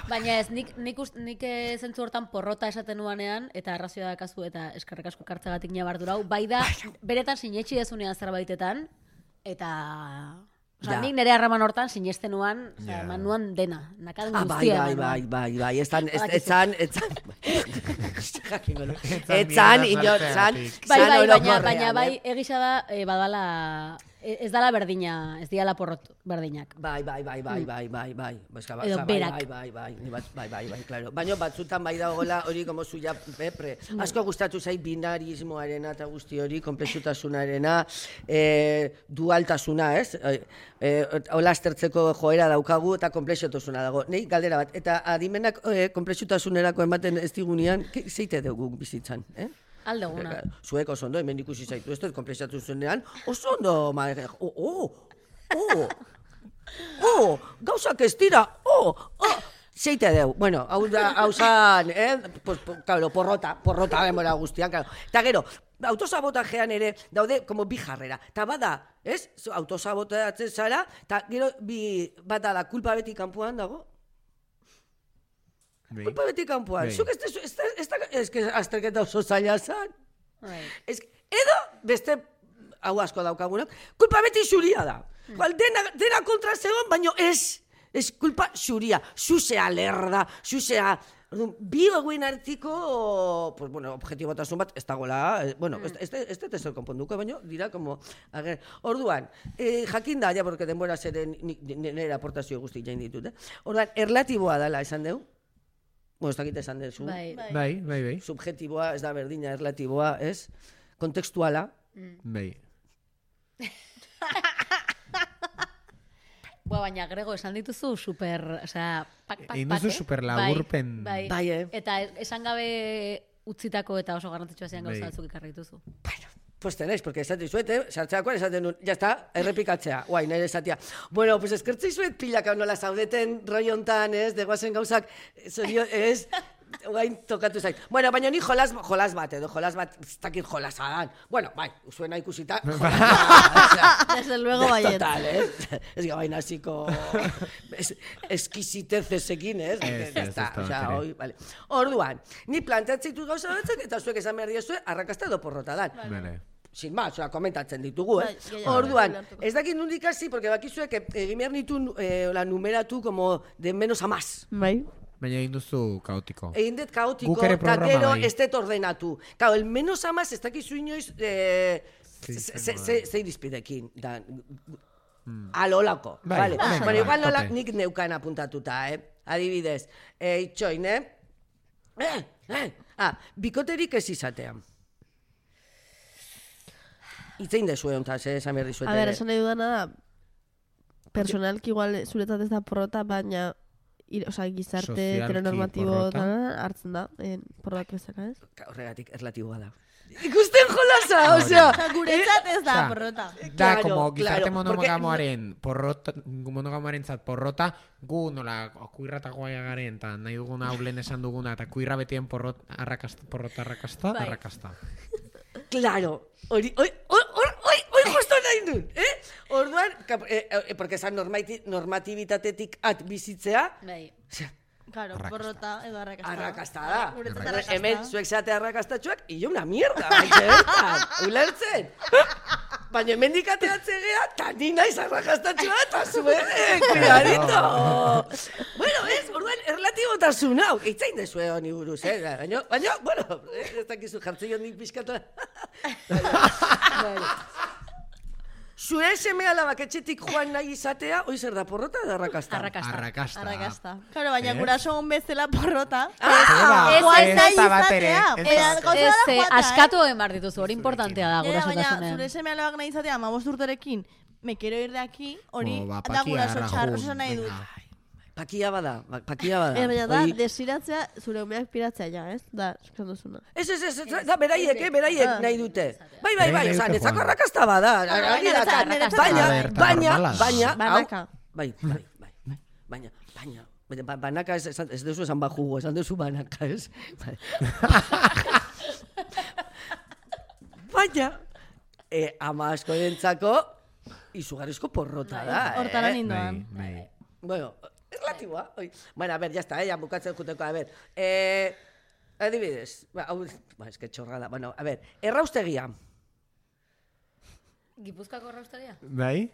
S4: Baina ez, nik zentzu hortan porrota esaten nuanean, eta arrazioa dakazu, eta eskerrik asko kartzagatik nabardura hau, bai da, beretan sinetxi dezunean zerbaitetan, eta... Osa, nik nire harreman hortan sinesten nuan, eman nuan dena, nakan guztia.
S7: Bai,
S4: baina bai, egisa da, badala, ez dala berdina, ez diala porrot berdinak.
S7: Bai.
S4: Edo berak.
S7: Bai, claro. Baina batzutan bai dagoela hori como suya pepre. Asko gustatu zait binarismoarena eta guzti hori, komplexutasunarena, dualtasuna, ez? Hola aztertzeko joera daukagu eta komplexotasuna dago. Nei galdera bat, eta adimenak komplexutasunerako ematen ez digunean, zeite dugu bizitzan,
S4: Aldeguna.
S7: Zuek oso ondo, hemen ikusi zaitu, ez dut komplexatu zuenean, oso ondo, gauzak ez dira, zeite deu. Bueno, hau zan, porrota demora guztian, claro. Eta gero, autosabotajean ere daude como bi jarrera. Ta bada, ez? Autosabotatzen zara, eta gero bada da kulpa beti kanpoan dago. Kulpa beti kanpoan. Zuk ez que azterketa oso zaila zan. Edo, beste, hau asko daukagunak, kulpa beti xuria da. Dena kontra zegoen, baino ez kulpa xuria. Zuzea lerda, zuzea... Bi eguen artiko, pues bueno, objetibotasun bat, ez dagoela, bueno, ez dut ezer konponduko, baina dira, como, orduan, jakin da, ja, porque denbora zeren nire aportazio guzti jain ditut, orduan, erlatiboa dela esan dugu, bueno, ez dakit esan duzu,
S5: Bai.
S7: subjetiboa, ez da berdina, erlatiboa, ez, kontekstuala,
S5: Bai.
S4: Baina Grego esan dituzu super, osea, pak,
S5: duzu super laburpen.
S4: Bai. Eta esan gabe utzitako eta oso garrantzitsua zian gauza batzuk ekarri dituzu.
S7: Bueno, pues tenéis, porque esaten zuete, sartzeakoan esaten duen, ya está, errepikatzea, guai, nire esatia. Bueno, pues eskertzei zuet pilaka nola zaudeten roiontan, ez, degoazen gauzak, ez, guain tokatu zait. Bueno, baina ni jolas bat, ez dakit jolasa dan. Bueno, bai, zuena ikusita,
S6: Desde luego baiet.
S7: Total, ez? Ez gabain hasiko eskizitezesekin, ez? Orduan, ni planteatzeitu gauza batzuk, eta zuek esan behar diozue, arrakasta edo porrota dan. Sin más, komentatzen ditugu, Orduan, ez dakit nundik hasi, porque bakizuek egin behar nitu numeratu como de menos a más.
S2: Bai.
S5: Baina egin duzu kaotiko.
S7: Egin dut kaotiko, eta gero ez dut ordenatu. Claro, el menos a más ez dakizu inoiz ze irizpidekin. Alolako.
S5: Bai,
S7: Vale.
S5: venga,
S7: Bueno, igual
S5: tope.
S7: nolak nik neukan apuntatuta, Adibidez, itxoin, bikoterik ez izatean. Itzein dezue hontaz, esan behar dizuet.
S2: A ber, esan nahi dudana da, personalki igual zuretzat ez da porrota, baina gizarte
S5: Sozialki
S2: heteronormatibo
S5: porrota.
S2: hartzen da, porrotak bezala, ez?
S7: Horregatik erlatiboa da. Ikusten jolasa, osea.
S6: Guretzat ez da
S5: Osea,
S6: porrota.
S5: Da,
S7: Claro,
S5: como gizarte
S7: claro,
S5: monogamoarentzat porrota, gu nola kuirratagoa garen, eta nahi duguna ulen esan duguna, eta kuirra betien porrota arrakasta.
S7: Claro, hori justo nahi dut, Orduan, porque esan normatibitatetik bizitzea,
S4: Bai.
S6: Claro, porrota edo arrakasta.
S7: arrakasta da.
S6: Guretzat arrakasta.
S7: Hemen zuek zate arrakastatxoak, iyo una mierda, bertan, ulertzen. Baina hemen dikateatzen gea, eta ni naiz arrakastatxoa, eta zuen, cuidadito. Bueno, orduan, erlatibotasun hau, eitzain dezue honi buruz, Baina, bueno, ez dakizu jartzen joan nik pixkatu. Zure seme alabak etxetik joan nahi izatea, hoi zer da, porrota edo arrakasta?
S6: Arrakasta. Claro, baina guraso hon bezala porrota.
S5: Ez da bat ere.
S4: Askatu egin behar dituzu, hori importantea da
S6: Baina
S4: gurasotasunean.
S6: zure seme alabak nahi izatea, 15 urterekin, me quiero ir de aquí, hori
S5: Ba,
S6: da guraso
S5: pakia,
S6: txarro
S5: rajun,
S6: nahi dut.
S5: venga.
S7: Pakia bada.
S2: Baina da,
S7: Hori-
S2: desiratzea, zure umeak piratzea ja, ez? Da, esan duzuna.
S7: Ez, da beraiek nahi dute. Bai,
S5: Nahi
S7: oza,
S5: dute,
S7: netzako
S5: Juan.
S7: arrakasta bada.
S6: niretzako
S7: Baina,
S5: normala.
S7: bai, baina, banaka ez duzu esan bajugo, esan duzu banaka, ez? Baina, ama askorentzako izugarrizko porrota da,
S6: Hortara nindoan.
S5: Bai.
S7: Bueno, erlatiboa, oi. Bueno, a ver, ya está, ya bukatzen juteko, a ver. Adibidez, es que chorrada. Bueno, a ver, erraustegia.
S4: Gipuzkoako erraustegia?
S5: Bai?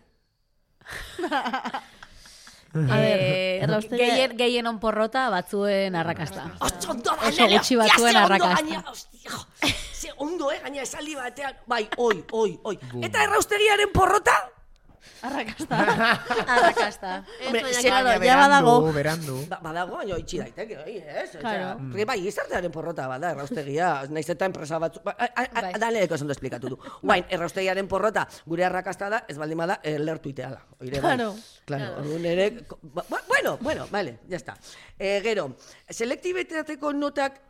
S2: erraustegia-
S4: Gehienon porrota, batzuen arrakasta.
S7: Ondo
S4: Oso gutxi batzuen arrakasta.
S7: Ze ondo, gaina esaldi batean. Bai, oi. Eta erraustegiaren porrota?
S6: Arrakasta.
S4: Arrakasta.
S7: Hombre,
S2: baina,
S7: ze-
S2: claro, ja badago.
S5: Berandu.
S7: Badago, baina itxi daiteke, ez?
S6: Claro.
S7: Porque bai, gizartearen porrota bada, erraustegia, naiz eta enpresa batzu...
S4: Bai.
S7: Daneko esan esplikatu du. Guain, erraustegiaren porrota, gure arrakasta da, ez baldin bada, lertu iteala. Oire, bai.
S6: Claro.
S7: Orduan ere... Bueno, vale, ya está. Gero, selektibitateko notak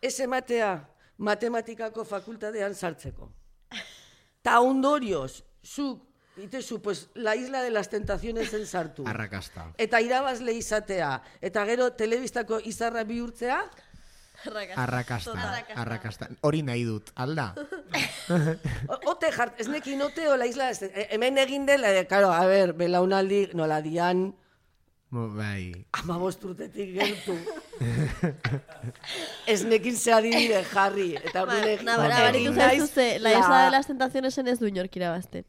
S7: ez ematea matematikako fakultatean sartzeko. Ta ondorioz, zuk, itezu, pues, la isla de las tentaciones en sartu.
S5: Arrakasta.
S7: Eta irabazle izatea, eta gero telebistako izarra bihurtzea,
S5: Arrakasta. Hori nahi dut, alda?
S7: ote jart, ez nekin ote o la isla, hemen egin dela, claro, a ver, belaunaldi, nola dian,
S5: Bai.
S7: 15 urtetik gertu. Ez nekin ze adibide jarri, eta orduan egin
S2: Nabaritu
S7: naiz
S2: zaituzte, la isla de las tentaciones ez du inork irabazten.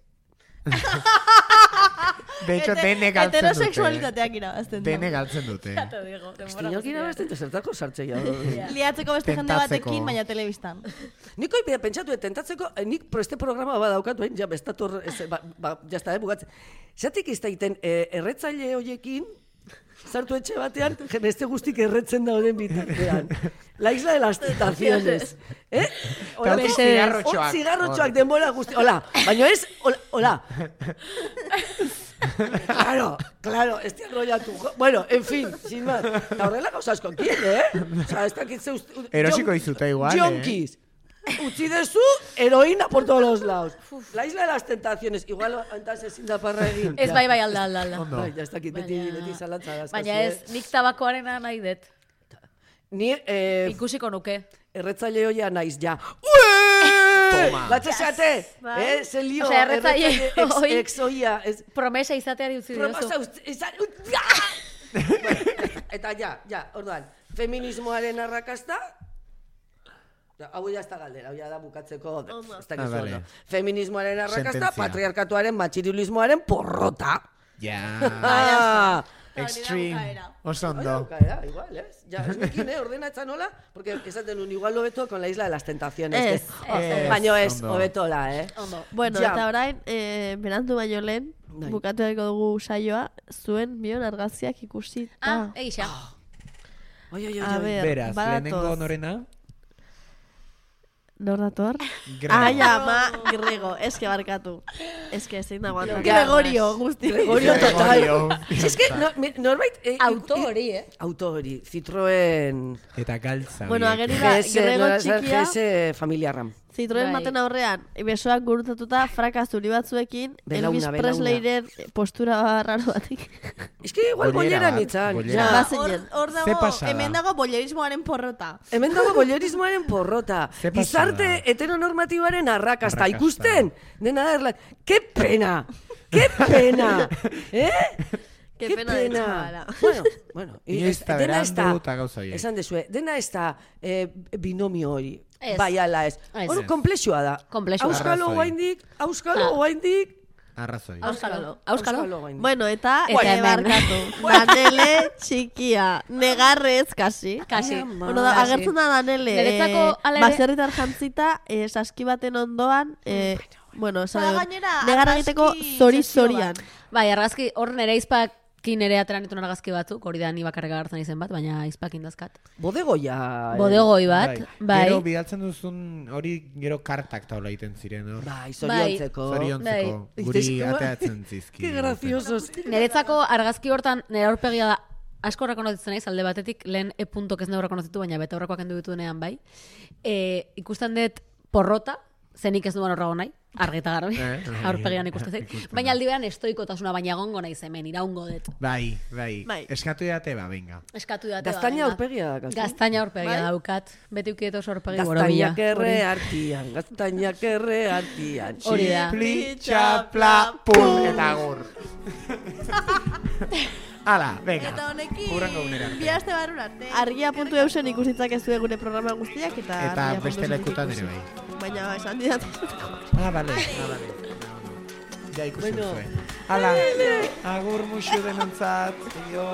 S5: De hecho, dene galtzen dute.
S6: Heterosexualitateak irabazten du.
S5: Dene galtzen dute.
S7: Inork irabazten, eta zertako sartzea.
S6: Liatzeko beste jende
S5: Tentatzeko.
S6: batekin, baina telebistan.
S7: Nik hoi pentsatu, tentatzeko, nik este programa badaukatu, ja, bestator, jazta, bugatzen. Zatik iztaiten, erretzaile hoiekin, sartu etxe batean, beste guztik erretzen dauden bitartean. La isla de las tentaciones.
S5: Hortik zigarrotxoak.
S7: Zigarrotxoak denbora guzti. Hola, baina ez, hola. Claro, ez enrollatu. Bueno, en fin, sin más. Eta horrela gauza asko tiene, Osa, ez dakit zeuz...
S5: Erosiko izute igual,
S7: Junkies. Utzi dezu, heroína por todos los lados. La isla de las tentaciones. Igual, antas ezin da parra egin.
S4: Ez bai, alda.
S5: Ondo.
S7: Bai, ya ez dakit, beti zalantza dazkazu.
S4: Baina ez, nik tabakoarena nahi dut.
S7: Ni,
S4: Ikusiko nuke.
S7: erretzaile hoia naiz, ja.
S5: Toma.
S7: Batxeseate, ze lio,
S4: Osea, erretzaile hoi-
S7: ex oia, ez...
S4: Promesa izateari utzi diozu.
S7: Proposa Eta ja, orduan, feminismoaren arrakasta, hau ya está galdera, hau ya da bukatzeko, ez dakizu
S5: vale.
S7: ondo. Feminismoaren arrakasta,
S5: Sententzia.
S7: patriarkatuaren, matxirilismoaren porrota.
S5: Ja, extreme, oso ondo.
S7: Bukaera, igual, ¿eh? Ya, ez nekin, ordenatzen nola, porque esaten un igual hobeto con la isla de las tentaciones. Baino ez,
S5: ondo.
S7: hobetola,
S4: Ondo.
S2: Bueno,
S7: Ja.
S2: eta orain, berandu baino lehen,
S7: Bai.
S2: bukatu dago dugu saioa, zuen bion argazkiak ikusi.
S4: Egisa.
S7: Oi.
S2: A ber,
S5: Beraz, lehenengo
S2: badatoz.
S5: norena,
S2: Nor dator?
S5: Grego.
S2: Ai, ama, Grego, eske barkatu. Eske zein da guantan.
S7: Ganas.
S2: Gregorio, guzti.
S7: Gregorio total.
S5: Gregorio.
S7: Es que norbait...
S4: Auto hori,
S7: Auto hori, Citroën...
S5: Eta galtza.
S2: Bueno,
S5: horiek.
S2: ageri da,
S7: GS,
S2: Grego
S7: nola zer,
S2: txikia,
S7: GS familia RAM.
S2: Citroen
S4: Bai.
S2: baten aurrean, besoak gurutatuta frakazuri batzuekin,
S7: Belauna,
S2: Elvis
S7: belauna.
S2: Presleyren postura raro batik.
S7: Es que igual
S5: Bollera
S7: bollera
S5: bat,
S7: nitzan.
S5: bollera.
S7: Ja.
S2: Bazinen.
S6: Hor
S5: Ze
S6: dago,
S5: pasada?
S6: hemen dago bollerismoaren porrota.
S7: Hemen dago bollerismoaren porrota.
S5: Ze pasada?
S7: Gizarte heteronormatiboaren arrakasta.
S5: Arrakasta.
S7: Ikusten? Dena da erlak. ¡Qué pena! ¡Qué pena!
S2: Qué pena de chavala.
S7: Bueno.
S5: Inoiz eta
S7: dena ez da...
S5: berandu eta gauza horiek.
S7: Esan dezue, dena ez da binomio hori.
S4: Ez.
S7: Bai ala ez.
S4: Ez.
S7: Hor, komplexua da.
S4: Komplexua.
S7: Auskalo
S5: Arrazoi.
S7: guaindik, auskalo guaindik.
S5: Arrazoi.
S4: Auskalo.
S7: guaindik.
S2: Bueno, eta
S4: hemen.
S2: barkatu. Danele txikia. Negarrez, kasi.
S4: Kasi.
S2: Bueno, da,
S4: Kasi.
S2: agertzen da Danele.
S4: Niretzako, hala ere-
S2: Baserritar jantzita, saski baten ondoan, bueno,
S6: Eta
S2: esan
S6: gainera,
S2: negar egiteko
S6: argazki
S2: zori-zorian.
S4: Bai, argazki, hor nere izpakin ere atera nituen argazki batzuk, hori da ni bakarrik agertzen izen bat, baina izpakin dazkat.
S7: Bodegoia.
S4: Bodegoi bat, bai.
S5: Gero bidaltzen duzun hori gero kartak taula egiten ziren hor.
S7: Bai, zoriontzeko.
S5: Zoriontzeko,
S7: Bai.
S5: guri
S7: Itezko-
S5: ateatzen zizki.
S7: Qué graciosos.
S4: Niretzako argazki hortan nire aurpegia da asko rekonozitzen naiz, alde batetik lehen e-puntok ez neu rekonozitu, baina bete horrekoak endu dituenean bai. Ikusten dut porrota, zenik ez duan horrago nahi, argi eta garbi, aurpegian ikusten zait.
S5: ikusten
S4: Baina
S5: da.
S4: aldi beran estoikotasuna, baina egongo naiz hemen, iraungo dut.
S5: Bai.
S2: Bai.
S5: Eskatu date, venga.
S4: Eskatu date.
S7: Gaztaina aurpegia da.
S4: Gaztaina aurpegia
S2: Bai.
S4: daukat. Beti ukiet oso aurpegi borobila.
S7: Gaztainak erre artian, gaztainak erre artian.
S4: Hori da.
S5: Pli, txapla, pum, eta agur. Hala, venga.
S6: Eta honekin,
S5: Hurrengo unera arte.
S6: bi aste barrura arte.
S2: Argia.eusen ikusitzak ez gure programa guztiak, eta
S5: Eta
S2: argia.eusen
S5: beste lekutan
S2: ikusi.
S5: ere bai.
S2: Baina esan didat.
S5: Vale. Ja ikusi
S7: Bueno.
S5: zuen. Hala, agur musu denontzat. Aio.